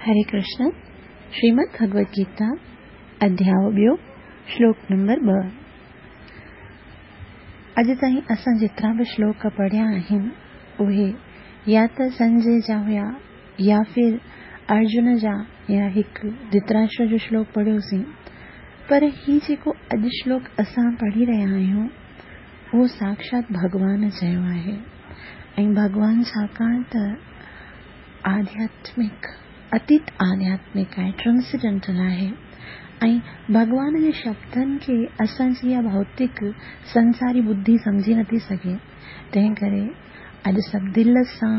هري ڪرشن، شريمد ڀڳوت گيتا، اڌياء ٻيو، شلوڪ نمبر 2. اڄ تائين اسان جيترا به شلوڪ پڙهيا آهن، اهي يا ته سنجي جا هيا يا ڦر ارجن جا يا هڪ ڌرتراشٽر جو شلوڪ پڙهيوسين. پر هي جيڪو اڄ شلوڪ اسان پڙهي رهيا آهيون، اهو ساڪشات ڀڳوان چيو آهي ۽ ڀڳوان ڇاڪاڻ ته آڌياتمڪ، اتيت آڌياتمڪ آهي، Transcendental آهي ۽ ڀڳوان جي شبدن کي اسان جي اها ڀوتڪ سنساري ٻڌي سمجهي نٿي سگهي، تنهن ڪري اڄ سڀ دل سان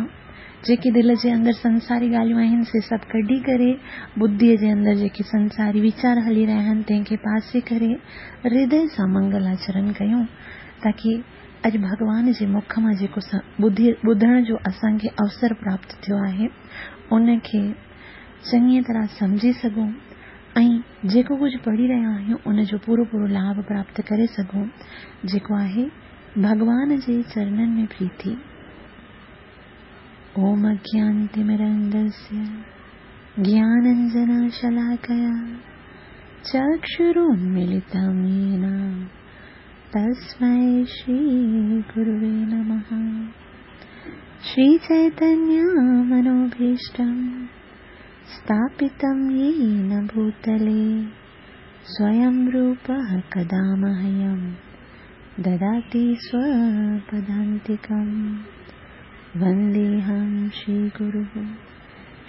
جيڪي دل جي اندر سنساري ڳالهيون آهن سي سڀ ڪڍي ڪري ٻڌيء جي اندر جيڪي سنساري ويچار هلي رهيا آهن تنهن کي پاسي ڪري هردي سان منگل آچرن ڪيون تاڪي اڄ ڀڳوان جي مک مان جيڪو ٻڌي ٻڌڻ جو اسان کي اوسر پراپت ٿيو آهي، ان کي چڱيء طرح سمجهي سگهون ۽ جيڪو ڪجهه پڙهي رهيا آهيون، ان جو پورو پورو لاڀ پراپت ڪري سگهون، جيڪو آهي ڀڳوان جي چرنن ۾ پريتي. اوم اگيانتمرندسيه گياننجنشلاڪيا چڪشرونملتم يين तस्मै श्रीगुरुवे नमः। श्रीचैतन्यमनोभीष्टं स्थापितं येन भूतले स्वयं रूपः कदा मह्यं ददाति स्वपदान्तिकं। वन्देऽहं श्रीगुरुः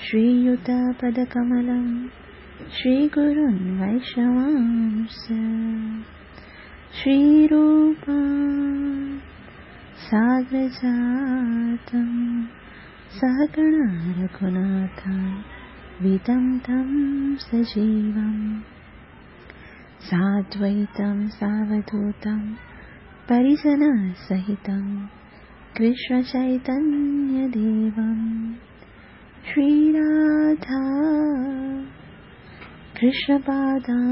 श्रीयुतपदकमलं श्रीगुरुन् वैष्णवांश्च। श्रीरूपं साग्रजातं सहगणा रघुनाथान्वितं तं सजीवं साद्वैतं सावधूतं परिजनसहितं कृष्णचैतन्यदेवं। श्रीराधा कृष्णपादां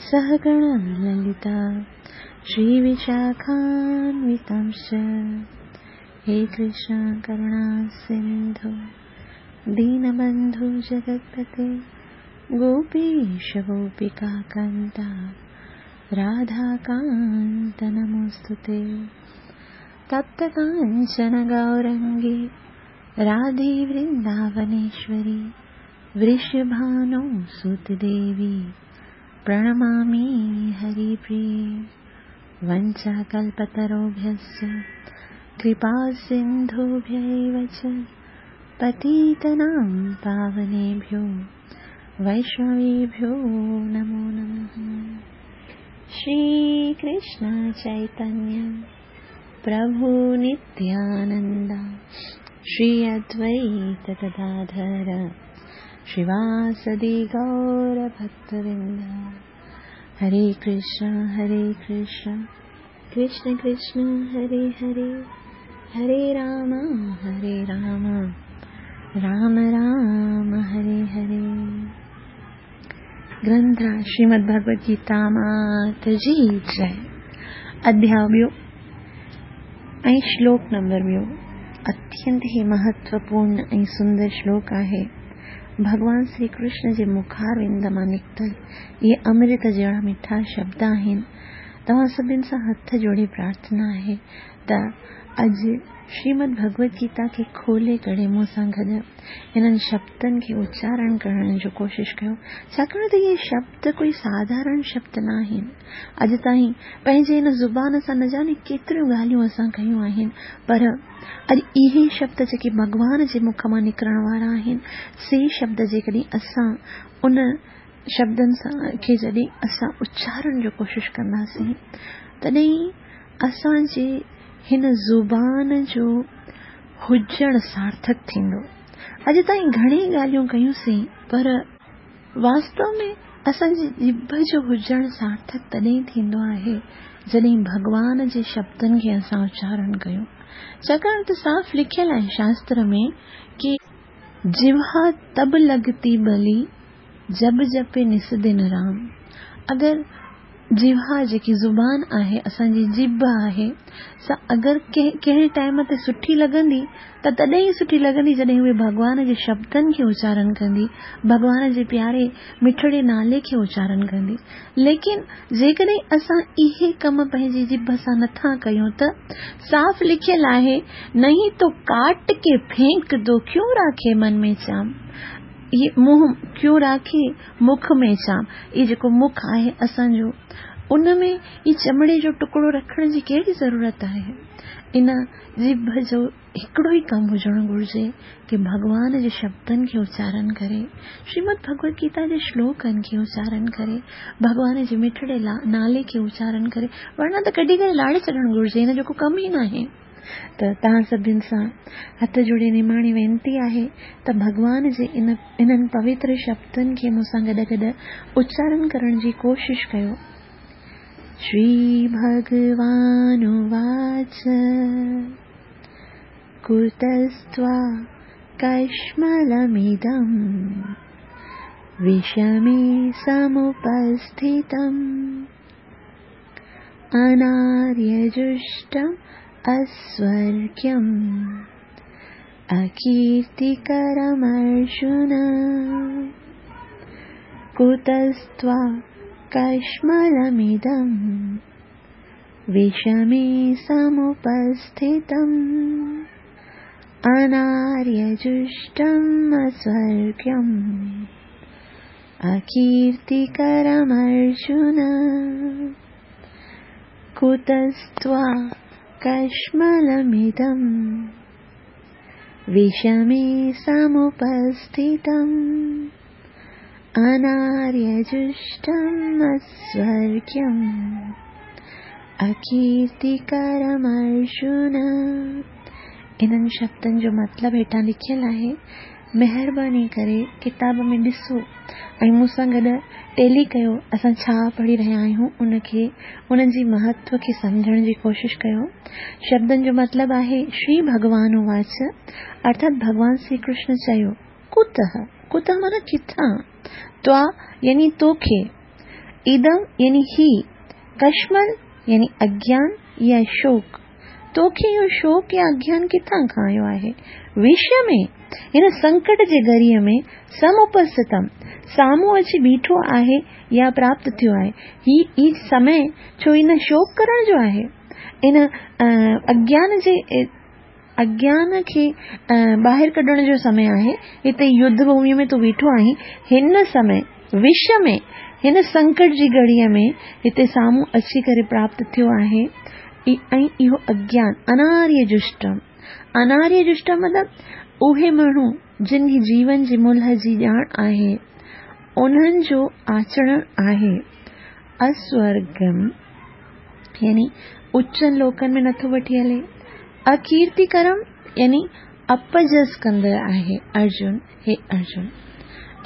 सहगणा ललिता श्रीविशाखान्वितांश्च। हे कृष्ण करुणा सिन्धु दीनबन्धु जगत्पते गोपीश गोपिकान्ता राधाकान्त नमोऽस्तु ते। तप्तकाञ्चन गौरङ्गी राधे वृन्दावनेश्वरी वृषभानो सुतदेवी प्रणमामि हरिप्रिये। वञ्चाकल्पतरुभ्यश्च कृपासिन्धुभ्यैव च पतितानां पावनेभ्यो वैष्णवेभ्यो नमो नमः। श्रीकृष्ण चैतन्य प्रभु नित्यानन्द श्री अद्वैत गदाधर श्रीवासदि गौरभक्तवृन्द। हरे कृष्ण कृष्ण कृष्ण हरे हरे, हरे राम राम राम हरे हरे। ग्रंथ श्रीमद् भगवद गीता मात जी जय। अध्याय ॿियो ऐं श्लोक नंबर ॿियो अत्यंत ही महत्वपूर्ण ऐं सुंदर श्लोक आहे। भॻवान श्री कृष्ण जे मुखारविंद मां निकितल इहे अमृत जहिड़ा मिठा शब्द आहिनि। तव्हां सभिनि सां हथ जोड़े प्रार्थना आहे त अॼु श्रीमद भगवद गीता खे खोले करे मूं सां गॾु हिननि शब्दनि खे उचारण करण जो कोशिशि कयो, छाकाणि त इहे शब्द कोई साधारण शब्द न आहिनि। अॼु ताईं पंहिंजे हिन ज़ुबान सां न ॼाणे केतिरियूं ॻाल्हियूं असां कयूं आहिनि, पर अॼु इहे शब्द जेके भॻवान जे मुख मां निकिरण वारा आहिनि, से शब्द जेकॾहिं असां उन शब्दनि सां खे जॾहिं असां उचारण जो कोशिशि कंदासीं, तॾहिं असांजे हिन ज़ुबान जो हुजणु सार्थक थींदो। अॼु ताईं घणे ॻाल्हियूं कयूंसीं, पर वास्तव में असांजी जिभ जो हुजणु सार्थक तॾहिं थींदो आहे जॾहिं भॻवान जे शब्दनि खे असां उचारण कयूं। छाकाणि त साफ़ लिखियल आहे शास्त्र में की जिह्वा तब लगती बली जब जपे निस दिन राम। अगरि جيوها جيڪي زبان آهي، اسان جي ڄڀ آهي، سا اگر ڪنهن ٽائيم تي سٺي لڳندي ته تڏهن ئي سٺي لڳندي جڏهن اهي ڀڳوان جي شبدن کي اچارن ڪندي، ڀڳوان جي پياري مٺڙي نالي کي اچارن ڪندي. ليڪن جيڪڏهن اسان اهي ڪم پنهنجي ڄڀ سان نٿا ڪيون ته صاف لکيل آهي، نهين تو ڪاٽ ڪي ڦينڪ دو ڪيون راکي من ۾ چام. هي منهن ڪيون راکي مک ۾ چام. هي جيڪو مک آهي اسان جو ان ۾ هي چمڙي جو ٽڪڙو رکڻ جي ڪهڙي ضرورت آهي. ان ڄڀ جو هڪڙو ئي ڪم هجڻ گهرجي ڪي ڀڳوان جي شبدن کي اچارن ڪري، شريمد ڀڳوت گيتا جي شلوڪن کي اچارن ڪري، ڀڳوان جي مٺڙي نالي کي اچارن ڪري، ورنه ته ڪڍي ڪري لاڙي ڇڏڻ گهرجي، هن جو ڪو ڪم ئي ناهي. ته توهان سڀن سان هٿ جوڙي نماڻي وينتي آهي ته ڀڳوان جي ان انهن پوتر شبدن کي مون سان گڏ گڏ اچارن ڪرڻ جي ڪوشش ڪيو. شري ڀڳوان واچ ڪتستوا ڪشملمدم وشمي سمپسٿتم اناريجشٽم اسورگيم اڪيرتيڪرم ارجن ڪتستوا ڪشملمدم وشمي سمپسٿتم اناريجشٽم اسورگيم اڪيرتيڪرم ارجن ڪتستوا ڪشملمدم وشمي سمپسٿتم اناريجشٽم اسورگيم اڪيرتيڪرم ارجن. انهن شبدن جو مطلب هيٺان لکيل آهي. مهرباني ڪري ڪتاب ۾ ڏسو ۽ مون سان گڏ ٽيلي ڪيو اسان ڇا پڙهي رهيا آهيون ان کي انهن جي مهتو کي سمجهڻ جي ڪوشش ڪيو. شبدن جو مطلب آهي شري ڀڳوان اواچ ارٿات ڀڳوان شري ڪرشن چيو، ڪتهه، ڪتهه معنيٰ ڪٿان، توا يعني توکي، ادم يعني هي، ڪشمل يعني اگيان يا شوڪ، توکي اهو شوق يا اگيان ڪٿان کان آيو آهي؟ وش ۾، هن سنڪٽ جي گهڙيء ۾، سم اپسٿتم، سامهون اچي بيٺو آهي يا پراپت ٿيو آهي. هي ئي سمي ڇو ان شوق ڪرڻ جو آهي؟ ان اگيان جي اگيان کي ٻاهر ڪڍڻ جو سمي آهي. هتي يڌ ڀوميء ۾ تون بيٺو آهين، هن سمي وش ۾، هن سنڪٽ جي گهڙيء ۾ هتي سامهون اچي ڪري پراپت ٿيو آهي ۽ اهو اگيان، اناريه جشٽم، اناريه جشٽم مطلب اهي ماڻهو جن کي جيون جي ملهه جي ڄاڻ آهي، انهن جو آچرڻ آهي. اسورگم يعني اچن لوڪن ۾ نٿو وٺي هلي. اڪيرتيڪرم يعني اپجس ڪندڙ آهي. ارجن، هي ارجن!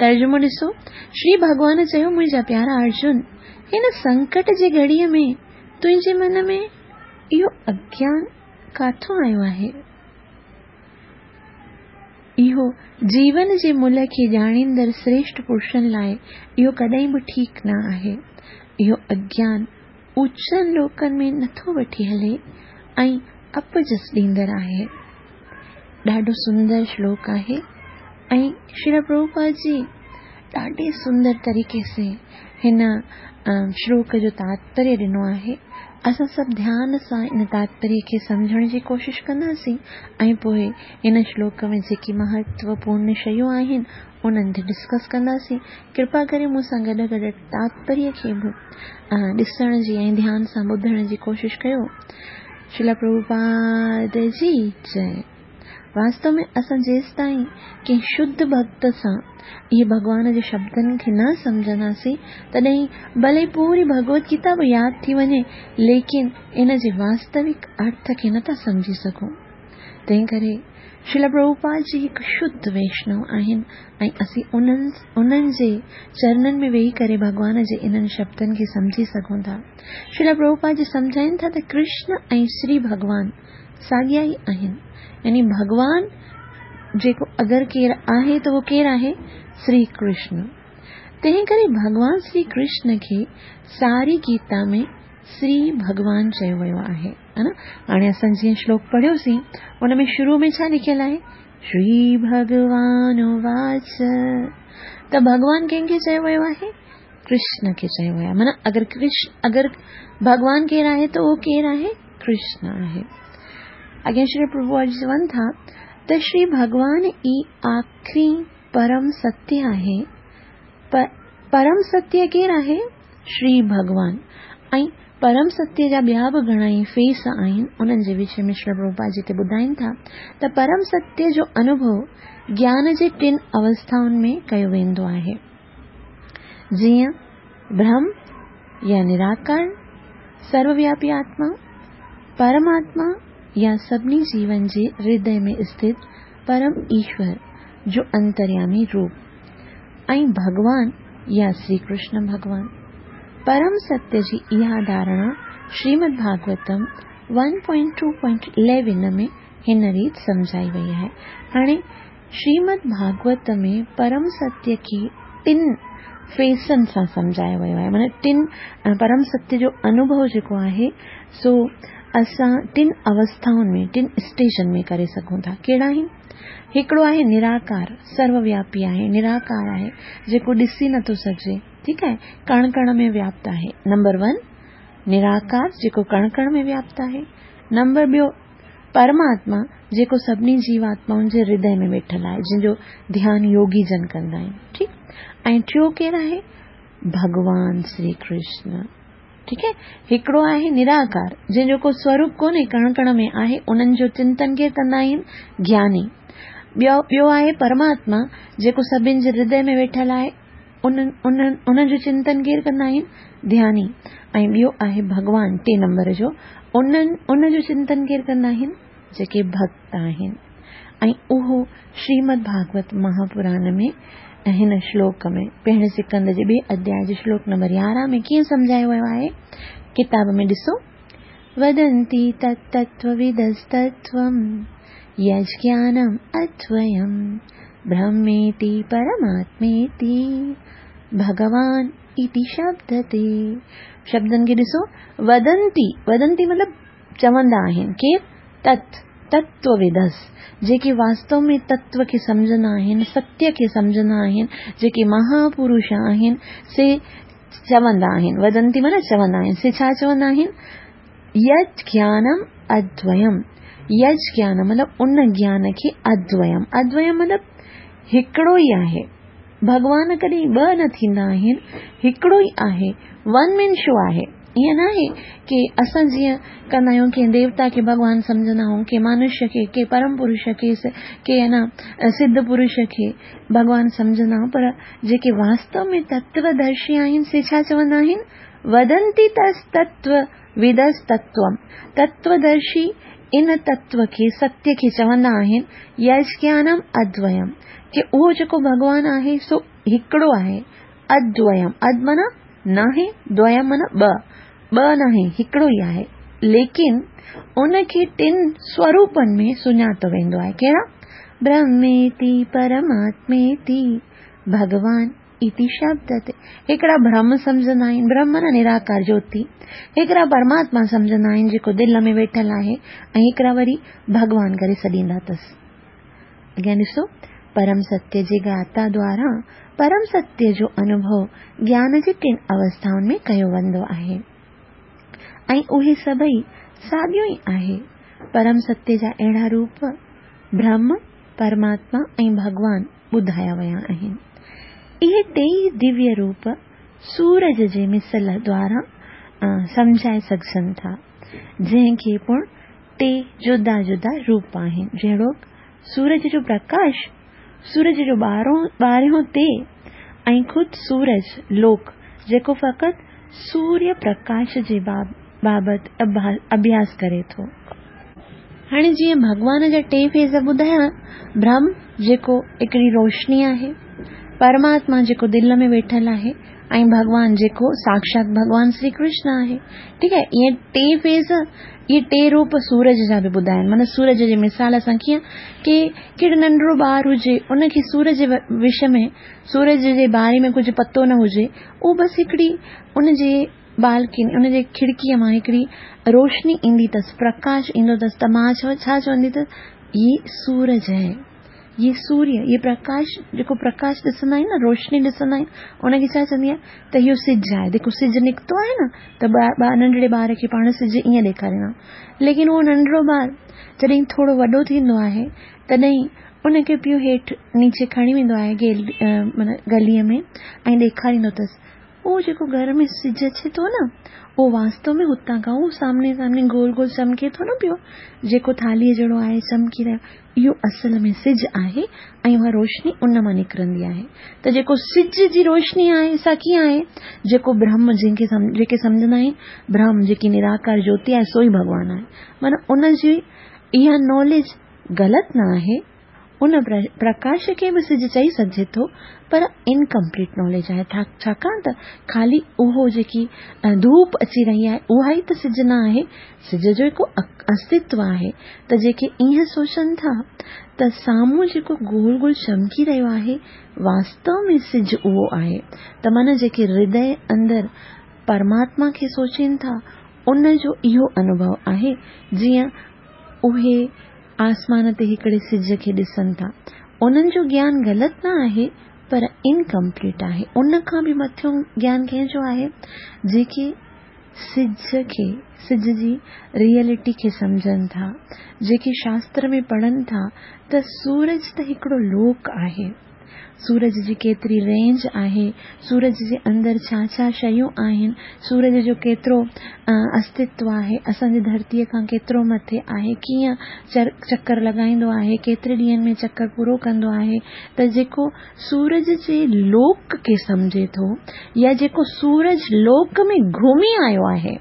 ترجمو ڏسو، شري ڀڳوان چيو، منهنجا پيارا ارجن! هن سنڪٽ جي گهڙيء ۾ تنهنجي من ۾ اهو اگيان ڪاٿون آيو آهي؟ اهو جيون جي ملهه کي ڄاڻيندڙ سريشٽ پرشن لاء اهو ڪڏهن به ٺيڪ نه آهي. اهو اگيان اوچن لوڪن ۾ نٿو وٺي هلي ۽ اپجس ڏيندڙ آهي. ڏاڍو سندر شلوڪ آهي ۽ شريل پرڀوپاد جي ڏاڍي سندر طريقي سي هن شلوڪ جو تاتپريه ڏنو آهي. اسان سڀ ڌيان سان ان تاتپريه کي سمجهڻ جي ڪوشش ڪنداسين ۽ پوء هن شلوڪ ۾ جيڪي مهتوپورن شيون آهن انهن تي ڊسڪس ڪنداسين. ڪرپا ڪري مون سان گڏ گڏ تاتپريه کي به ڏسڻ جي ۽ ڌيان سان ٻڌڻ جي ڪوشش ڪيو. شريلا پرڀوپاد جي جئي. واستو ۾ اسان جيستائين ڪنهن شڌ ڀڳت سان اهي ڀڳوان جي شبدن کي نه سمجهنداسين تڏهن ڀلي پوري ڀڳوت گيتا به ياد ٿي وڃي ليڪن ان جي واستوڪ ارٿ کي نٿا سمجهي سگهون. تنهن ڪري شريلا پرڀوپاد جي هڪ شڌ ويشنو آهن ۽ اسين انهن انهن جي چرنن ۾ ويهي ڪري ڀڳوان جي انهن شبدن کي سمجهي سگهون ٿا. شريلا پرڀوپاد جي سمجهائين ٿا ته ڪرشن ۽ شري ڀڳوان ساڳيا ئي آهن يعني ڀڳوان جيڪو اگر ڪير آهي ته اهو ڪير آهي؟ شري ڪرشن. تنهن ڪري ڀڳوان شري ڪرشن کي ساري گيتا ۾ شري ڀڳوان چيو ويو آهي. هاڻي اسان جيئن شلوڪ پڙهيوسين ان ۾ شروع ۾ ڇا لکيل آهي؟ شري ڀڳوان واچ. ته ڀڳوان ڪنهن کي چيو ويو آهي؟ ڪرشن کي چيو ويو آهي. معنيٰ اگر ڪرشن اگر ڀڳوان ڪير آهي ته اهو ڪير آهي؟ ڪرشن آهي. اڳيان شري پرڀو چون ٿا ته شري ڀڳوان ئي آخري پرم ستيه آهي. پرم ستيه ڪير آهي؟ شري ڀڳوان. ۽ پرم ستيه جا ٻيا به گهڻا ئي فيس آهن، انهن جي وشي ۾ شري پرڀوپاد جتي ٻڌائين ٿا ته پرم ستيه جو انوڀو گيان جي ٽن اوسٿائن ۾ ڪيو ويندو آهي، جيئن برهم يا نراڪار، سرووياپي آتما، پرماتما يا سڀني جيون جي هردي ۾ اسٿت پرم ايشور جو انتريامي روپ ۽ ڀڳوان يا شري ڪرشن ڀڳوان. پرم ستيه جي اها ڌارڻا شريمد ڀاڳوتم 1.2.11 ۾ هن ريت سمجهائي وئي آهي. هاڻي شريمد ڀاڳوت ۾ پرم ستيه کي ٽن فيسن سان سمجهايو ويو آهي، معنيٰ ٽن پرم ستيه جو انوڀو جيڪو آهي سو اسان ٽن اوسٿائن ۾ ٽن اسٽيجن ۾ ڪري سگهون ٿا. ڪهڙا آهن؟ هڪڙو آهي نراڪار، سرووياپي آهي، نراڪار آهي، جيڪو ڏسي نٿو سگهجي، ٺيڪ آهي، ڪڻ ڪڻ ۾ وياپت آهي. نمبر ون نراڪار جيڪو ڪڻ ڪڻ ۾ وياپت آهي. نمبر ٻيو پرماتما جيڪو سڀني جيواتمائن جي هردي ۾ ويٺل آهي، جنهن جو ڌيان يوگي جن ڪندا آهن، ٺيڪ. ۽ ٽيون ڪير آهي؟ ڀڳوان شري ڪرشن، ٺيڪ آهي. هڪڙو آهي نراڪار، جنهن جو ڪو سوروپ ڪونهي، ڪڻ ڪڻ ۾ آهي، انهن جو چنتن ڪير ڪندا آهن؟ گياني. ٻيو آهي پرماتما جيڪو سڀن جي هردي ۾ ويٺل آهي، انهن جو چنتن ڪير ڪندا آهن؟ ڌياني. ۽ ٻيو آهي ڀڳوان ٽئين نمبر جو، ان جو چنتن ڪير ڪندا آهن؟ جيڪي ڀڳت آهن. ۽ اهو شريمد ڀاڳوت مهاپراڻ ۾ هن شلوڪ ۾ پهرين سڪند جي ٻئي اڌياء جي شلوڪ نمبر 11 ۾ ڪيئن سمجهايو ويو آهي؟ ڪتاب ۾ ڏسو، ودنتي تتتوودستتوم يجگيانم ادويم برهميتي پرماتميتي ڀڳوان اتي شبدتي. شبدن کي ڏسو، ودنتي، ودنتي مطلب چوندا آهن، ڪير؟ تت، تتوودس، جيڪي واستو ۾ تتو کي سمجهندا آهن، ستيه کي سمجهندا آهن، جيڪي مهاپرش آهن، سي چوندا آهن. ودنتي معنيٰ چوندا آهن، سي ڇا چوندا آهن؟ يج گيانم ادويم. يج گيان مطلب ان گيان کي ادويم، ادويم مطلب هڪڙو ئي آهي، ڀڳوان ڪڏهن ٻه نه ٿيندا آهن، هڪڙو ئي آهي، ون مين شو آهي. ائين ناهي ڪي اسان جيئن ڪندا آهيون، ڪنهن ديوتا کي ڀڳوان سمجهندا آهيون، ڪنهن مانوشيه کي، ڪنهن پرم پرش کي، ڪنهن سڌ پرش کي ڀڳوان سمجهندا آهيون، پر جيڪي واستو ۾ تتودرشي آهن سي ڇا چوندا آهن؟ ودنتي تس تتو ودس تتوم. تتودرشي ان تتو کي، ستيه کي چوندا آهن يجگيانم ادويم، ڪي اهو جيڪو ڀڳوان آهي سو هڪڙو آهي، ادويم، اد معنيٰ ناهي، دويم معنيٰ ٻه، ٻه ناهي، هڪڙو ئي آهي، ليڪن ان کي ٽن سوروپن ۾ سڃاتو ويندو آهي، ڪهڙا؟ برهميتي پرماتميتي ڀڳوان اتي شبد تي. هڪڙا برهم سمجهندا آهن، برهم معنيٰ نراڪار جوتي، هڪڙا پرماتما سمجهندا آهن جيڪو دل ۾ ويٺل آهي، ۽ هڪڙا وري ڀڳوان ڪري سڏيندا اٿس. اڳيان ڏسو، پرم ستيه جي گاتا دوارا پرم ستيه جو انوڀو گيان جي ٽن اوسٿائن ۾ ڪيو ويندو آهي ۽ اهي سڀئي ساڳيو ئي آهي. پرم ستيه جا اهڙا روپ برهم، پرماتما ۽ ڀڳوان ٻڌايا ويا آهن. اهي ٽيئي دويه روپ سورج جي مثل دوارا سمجهائي سگهجن ٿا، جنهن کي پڻ ٽي جدا جدا روپ آهن، جهڙوڪ سورج جو پرڪاش، سورج جو ٻارهون تي ۽ خود سورج لوڪ، جيڪو فقط سوريه پرڪاش جي بابت اڀياس ڪري ٿو. هاڻي جيئن ڀڳوان جا ٽي فيز ٻڌايا، برهم جيڪو هڪڙي روشني آهي، پرماتما جيڪو دل ۾ ويٺل آهي ۽ ڀڳوان جيڪو ساکشات ڀڳوان شري ڪرشن آهي. ٺيڪ آهي، اهي ٽي فيز اهي ٽي روپ سورج جا به ٻڌايا آهن. معنيٰ سورج جي مثال سان ڪيئن ڪي ڪهڙو ننڍڙو ٻار هجي ان کي سورج جي وشي ۾ سورج جي باري ۾ ڪجهه پتو نه هجي اهو بس هڪڙي ان جي بالڪني ان جي کڙڪيء مان هڪڙي روشني ايندي اٿس پرڪاش ايندو اٿس ته ماء ڇا چوندي اٿس هي سورج هي هي سوريه هي پرڪاش جيڪو پرڪاش ڏسندا آهيون نه روشني ڏسندا آهيون ان کي ڇا چوندي آهي ته اهو سج آهي جيڪو سج نڪتو آهي نه ته ننڍڙي ٻار کي پاڻ سج ائين ڏيکاريندا آهيون ليڪن اهو ننڍڙو ٻار جڏهن ٿورو وڏو ٿيندو آهي تڏهن ان کي پيء هيٺ نيچي کڻي ويندو آهي معنيٰ گليء ۾ ۽ ڏيکاريندو اٿس اهو جيڪو گهر ۾ سج اچي ٿو نه اهو واستو ۾ هتان کان اهو سامني سامني گول گول چمڪي ٿو نه پيو جيڪو ٿالهيء جهڙو آهي چمڪي رهيو اهو اصل ۾ سج آهي ۽ اها روشني ان مان نڪرندي آهي ته جيڪو سج جي روشني آهي سا ڪيئن آهي جيڪو برهم جنهن کي جيڪي سمجهندا آهن برهم جيڪي نراڪار جوتي آهي سو ئي ڀڳوان آهي معنيٰ ان جي اها ناليج غلط نه آهي ان پرڪاش کي به سج چئي سگهجي ٿو پر انڪمپليٽ ناليج آهي ڇاڪاڻ ته خالي اهو جيڪي ڌوپ اچي رهي آهي اها ئي ته سج نه آهي سج جو هڪ استتو آهي ته جيڪي ائين سوچن ٿا ته سامهون جيڪو گول گول چمڪي رهيو آهي واستو ۾ سج اهو آهي ته معنيٰ جيڪي هردي اندر پرماتما کي سوچين ٿا ان جو اهو انوڀو آهي جيئن اهي آسمان تي هڪڙي سج کي ڏسن ٿا. انهن جو گيان غلط نه آهي پر انڪمپليٽ آهي. ان کان به مٿيون گيان ڪنهن جو آهي؟ جيڪي سج کي، سج جي ريئلٽي کي سمجهن ٿا، جيڪي شاستر ۾ پڙهن ٿا ته سورج ته هڪڙو لوڪ آهي. سورج جي ڪيتري رينج آهي، سورج جي اندر ڇا ڇا شيون آهن، سورج جو ڪيترو استتو آهي، اسان جي ڌرتيء کان ڪيترو مٿي آهي، ڪيئن چڪر لڳائيندو آهي، ڪيتري ڏينهن ۾ چڪر پورو ڪندو آهي ته جيڪو سورج جي لوڪ کي سمجهي ٿو يا جيڪو سورج لوڪ ۾ گهمي آيو آهي.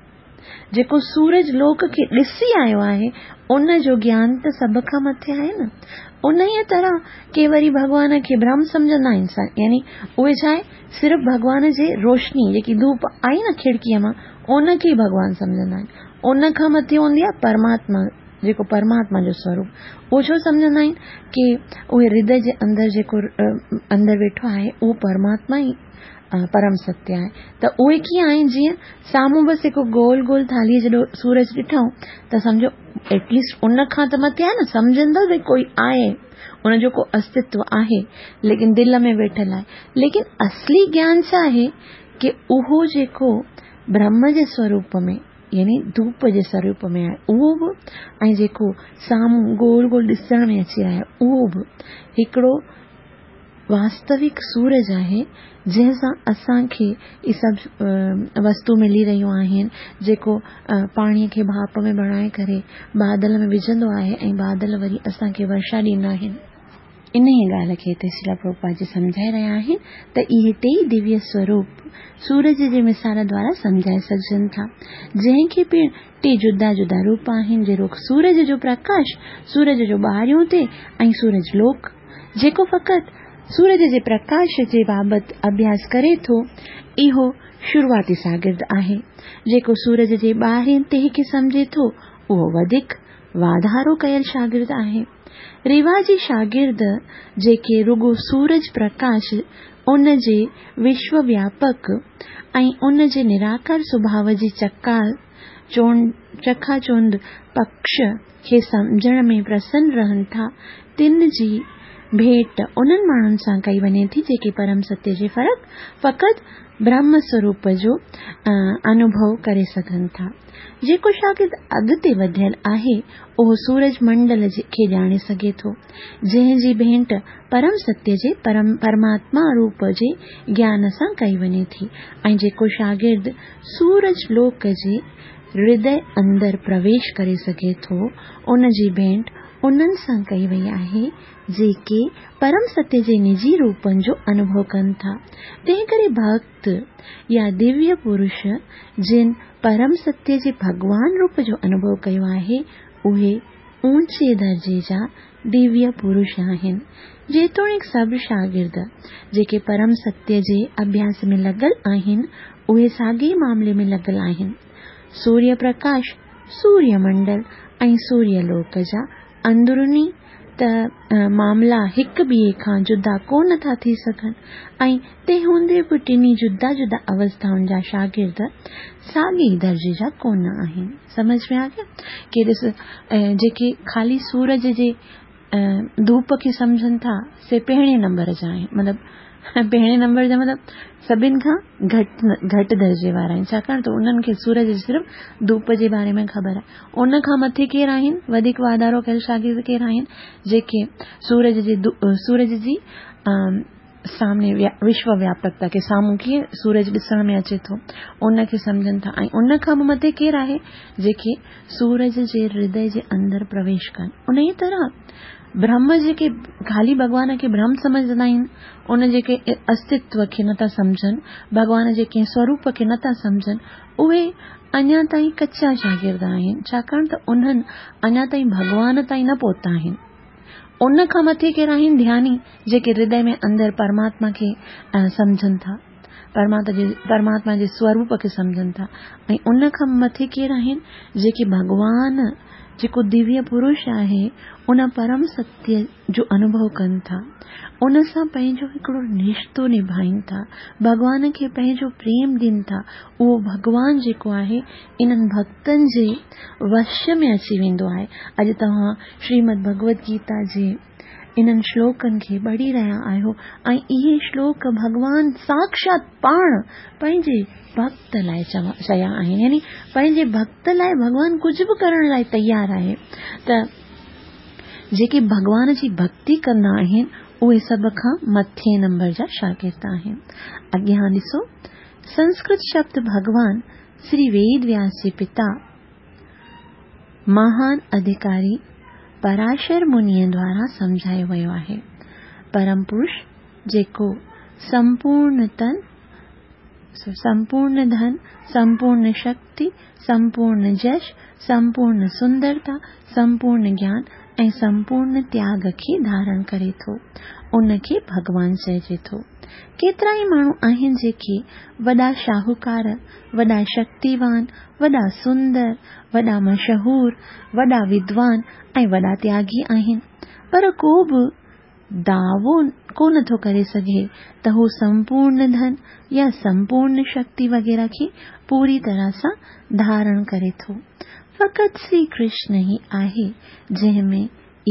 جيڪو سورج لوڪ کي ڏسي آيو آهي، ان جو گيان ته سڀ کان مٿي آهي نه. انهيء طرح ڪي وري ڀڳوان کي برهم سمجهندا آهن، يعني اهي ڇا آهي، صرف ڀڳوان جي روشني، جيڪي ڌوپ آئي نه کڙڪيء مان، ان کي ئي ڀڳوان سمجهندا آهن. ان کان مٿي هوندي آهي پرماتما، جيڪو پرماتما جو سوروپ. اهو ڇو سمجهندا آهن ڪي اهي هردي جي اندر جيڪو اندر ويٺو آهي، اهو پرماتما ئي پرم ستيه آهي ته اهي ڪيئن آهن جيئن سامهون بس هڪ گول گول ٿالهيء جيڏو سورج ڏٺائون ته سمجهو ايٽليسٽ ان کان ته مٿي آهي نه سمجهن ٿا ڀئي ڪوئي آهي ان جو ڪو استتو آهي ليڪن دل ۾ ويٺل آهي ليڪن اصلي گيان ڇا آهي ڪي اهو جيڪو برهم جي سوروپ ۾ يعني ڌوپ جي سوروپ ۾ آهي اهو به ۽ جيڪو سامهون گول گول ڏسڻ ۾ اچي رهيو آهي اهو به هڪڙو واستوڪ سورج آهي، جنهن سان اسان کي اهي سڀ وستو ملي رهيون آهن، جيڪو پاڻيء کي ڀاپ ۾ بڻائي ڪري بادل ۾ وجهندو آهي ۽ بادل وري اسان کي ورشا ڏيندا آهن. انهيء ڳالهه کي هتي شريلا پرڀوپاد جي سمجهائي رهيا آهن ته اهي ٽيئي دويه سوروپ سورج جي مثال دوارا سمجهائي سگهجن ٿا، جنهن کي پڻ ٽي جدا جدا روپ آهن، جهڙوڪ سورج جو پرڪاش، سورج جو ٻاهريون تي ۽ سورج لوڪ. جيڪو فقط سورج جي پرڪاش جي بابت اڀياس ڪري ٿو، اهو شروعاتي شاگرد آهي. جيڪو سورج جي ٻاهرين تهه کي سمجهي ٿو، اهو وڌيڪ واڌارو ڪيل شاگرد آهي. رواجي شاگرد جيڪي رڳو سورج پرڪاش، ان جي وشو وياپڪ ۽ ان جي نراڪار سڀاء جي چڪاچونڌ پڪش کي سمجهڻ ۾ پرسن رهن ٿا، تن جي ڀيٽ انهن ماڻهن سان ڪئي وڃي ٿي، جيڪي پرم ستيه جي فرق فقط برهم سوروپ جو انوڀو ڪري سگهن ٿا. جيڪو شاگرد اڳتي وڌيل آهي، اهو سورج منڊل کي ڄاڻي سگهي ٿو، جنهن جي ڀيٽ پرم ستيه جي پرماتما روپ جي گيان سان ڪئي وڃي ٿي ۽ جيڪو شاگرد سورج لوڪ جي هردي اندر پرويش ڪري سگهي ٿو، ان جي ڀيٽ انهن سان ڪئي وئي آهي، جيڪي پرم ستيه جي نجي روپن جو انوڀو ڪن ٿا. تنهنڪري ڀڳت يا دويه پرش جن پرم ستيه جي ڀڳوان روپ جو انوڀو ڪيو آهي، اهي اوچي درجي جا دويه پرش آهن. جيتوڻيڪ سڀ شاگرد، جيڪي پرم ستيه جي اڀياس ۾ لڳل آهن، اهي ساڳئي معاملي ۾ لڳل آهن. سوريه پرڪاش سوريه منڊل ۽ سوريه لوڪ جا اندروني ته معاملا هڪ ٻئي کان جدا ڪونه ٿا ٿي سگهن ۽ تنهن هوندي به ٽنهي جدا جدا اوسٿائن جا شاگرد ساڳئي درجي جا ڪونه آهن. سمجهه ۾ آ گيا ڪي ڏس جيڪي خالي سورج جي ڌوپ کي سمجهن ٿا سي پهرين نمبر جا آهن مطلب پهرين نمبر جا مطلب سڀن کان گهٽ گهٽ درجي وارا آهن ڇاڪاڻ ته انهن کي سورج جي صرف ڌوپ جي باري ۾ خبر آهي ان کان مٿي ڪير آهن وڌيڪ واڌارو ڪيل شاگرد ڪير آهن جيڪي سورج جي سورج جي سامني وشو وياپڪتا کي سامهون ڪيئن سورج ڏسڻ ۾ اچي ٿو ان کي سمجهن ٿا ۽ ان کان به مٿي ڪير آهي جيڪي سورج جي هردي جي اندر پرويش ڪن انهيء طرح برهم جيڪي خالي ڀڳوان کي برهم سمجهندا آهن ان جي ڪنهن استتو کي نٿا سمجهن ڀڳوان جي ڪنهن سوروپ کي نٿا سمجهن اهي اڃا تائين ڪچا شاگرد آهن ڇاڪاڻ ته انهن اڃا تائين ڀڳوان تائين نه پهتا آهن ان کان مٿي ڪير آهن ڌياني جيڪي هردي ۾ اندر پرماتما کي سمجهن ٿا پرماتما جي سوروپ کي سمجهن ٿا ۽ ان کان مٿي ڪير آهن جيڪي ڀڳوان جيڪو دويه پرش آهي ان پرم ستيه جو انوڀو ڪن ٿا ان سان پنهنجو هڪڙو رشتو نڀائين ٿا ڀڳوان کي پنهنجو پريم ڏين ٿا اهو ڀڳوان جيڪو آهي انهن ڀڳتن جي وش ۾ اچي ويندو آهي. اڄ توهان شريمد ڀڳوت گيتا جي انهن شلوڪن کي پڙهي رهيا آهيو ۽ اهي شلوڪ ڀڳوان ساڪشات پاڻ پنهنجي ڀڳت لاء چيا آهن يعني پنهنجي ڀڳت لاء ڀڳوان ڪجهه به ڪرڻ لاء تيار آهي ته جيڪي ڀڳوان جي ڀڳتي ڪندا آهن اهي سڀ کان مٿين نمبر جا شاگرد آهن. اڳيان ڏسو سنسڪرت شبد ڀڳوان شري ويد وياس جي پتا مهان اڌڪاري پراشر منيء دوارا سمجهايو ويو آهي. پرم پرش جيڪو سمپورن تن، سمپورن ڌن، سمپورن شڪتي، سمپورن جش، سمپورن سندرتا، سمپورن گيان ۽ سمپورن تياڳ کي ڌارڻ ڪري ٿو، ان کي ڀڳوان چئجي ٿو. ڪيترائي ماڻهو آهن جيڪي وڏا شاهوڪار، وڏا شڪتيوان، وڏا سندر، وڏا مشهور، وڏا ودوان ۽ وڏا تياڳي آهن، پر ڪو به دعوو ڪو نه ٿو ڪري سگهي ته هو سمپورن ڌن يا سمپورن شڪتي وغيره کي پوري طرح سان ڌارڻ ڪري ٿو. فقط شري ڪرشن ئي آهي جنهن ۾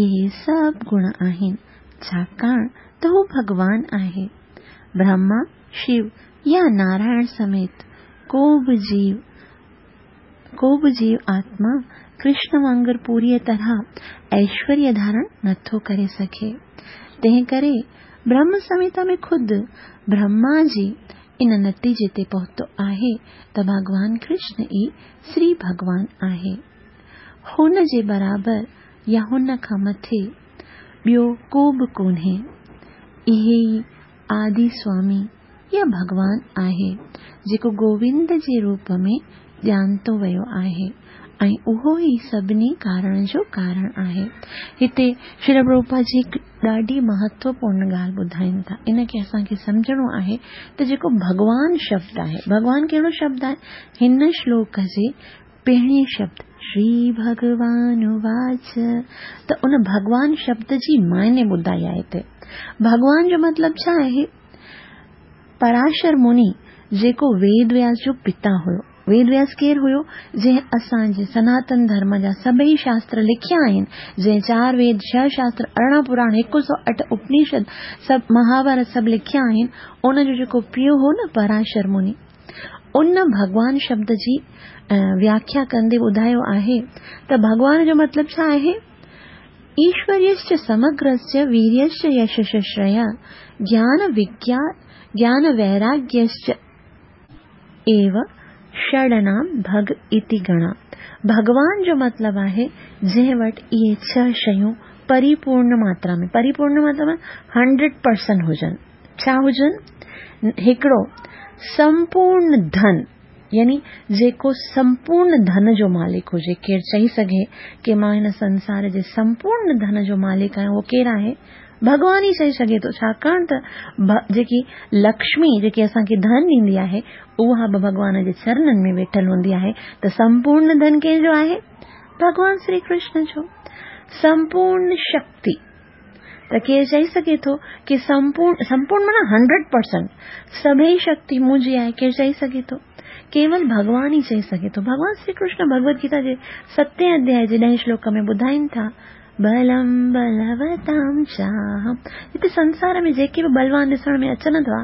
اهي سڀ گڻ آهن، ڇاڪاڻ ته هو ڀڳوان آهي. برهما، شو يا نارائڻ سميت ڪو به جيو، ڪو به جيو آتما ڪرشن وانگر پوريء طرح ايشوريه ڌارڻ نٿو ڪري سگهي. تنهن ڪري برهم سمهتا ۾ خود برهما جي ان نتيجي تي پهتو آهي ته ڀڳوان ڪرشن ئي شري ڀڳوان آهي. هن جي برابر يا هن کان مٿي ٻيو ڪو به ڪونهي. اهي ئي آدي سوامي يا ڀڳوان آهي، جيڪو گووند جي روپ ۾ ڄاتو ويو آهي ۽ اهو ئي سڀني ڪارڻ جو ڪارڻ آهي. هتي شريل پرڀوپاد جي هڪ ڏاڍي مهتوپورن ڳالهه ٻڌائين ٿا. ان کي اسان کي سمجهڻو آهي ته جيڪو ڀڳوان شبد آهي، ڀڳوان ڪهڙو شبد آهي؟ هن شلوڪ جي پهرين شبد شري ڀڳوان واچ ته ان ڀڳوان شبد جي معني ٻڌائي آهي هتي. ڀڳوان جو مطلب ڇا آهي؟ پراشر مني جيڪو ويد وياس جو پتا هيو. ويد وياس ڪير هيو؟ جنهن اسان جي سناتن ڌرم جا سڀئي شاستر لکيا آهن، جنهن چار ويد، ڇهه شاستر، 18 پراڻ، 108 اپنيشد، سڀ مهاڀارت سڀ لکيا آهن، ان جو جيڪو پيء هو نه پراشر مني. ان ڀڳوان شبد جي وياکيا ڪندي ٻڌايو آهي ته ڀڳوان جو مطلب ڇا آهي؟ ايشوريشچ سمگرسچ ويريشچ يشششريا گيان وگيا گيان ويراگيشچ ايو षडनाम ڀڳ اتي گڻا ڀڳوان جو مطلب آهي جنهن وٽ اهي ڇهه شيون پريپورن ماترا ۾ پريپورن مطلب 100% هجن ڇا هجن؟ هڪڙو، سمپورن ڌن، يعني جيڪو سمپورن ڌن جو مالڪ هجي، ڪير چئي سگهي ڪي مان هن سنسار جي سمپورن ڌن جو مالڪ آهيان، اهو ڪير آهي؟ ڀڳوان ئي چئي سگهي ٿو، ڇاڪاڻ ته جيڪي لڪشمي جيڪي اسان کي ڌن ڏيندي آهي، اها به ڀڳوان جي چرنن ۾ ويٺل هوندي آهي ته سمپورڻ ڌن ڪنهن جو آهي؟ ڀڳوان شري ڪرشن جو. سمپورڻ شڪتي ته ڪير چئي سگهي ٿو ڪي سمپورڻ، سمپورڻ معنيٰ هنڊريڊ پرسنٽ، سڀئي شڪتي منهنجي آهي، ڪير چئي سگهي ٿو؟ ڪيول ڀڳوان ئي چئي سگهي ٿو. ڀڳوان شري ڪرشن ڀڳوت گيتا جي ستين اڌيائي جي ڏهين شلوڪ ۾ ٻڌائين ٿا، بلم بلوتام چاهم. هتي سنسار ۾ جيڪي به بلوان ڏسڻ ۾ اچن ٿا،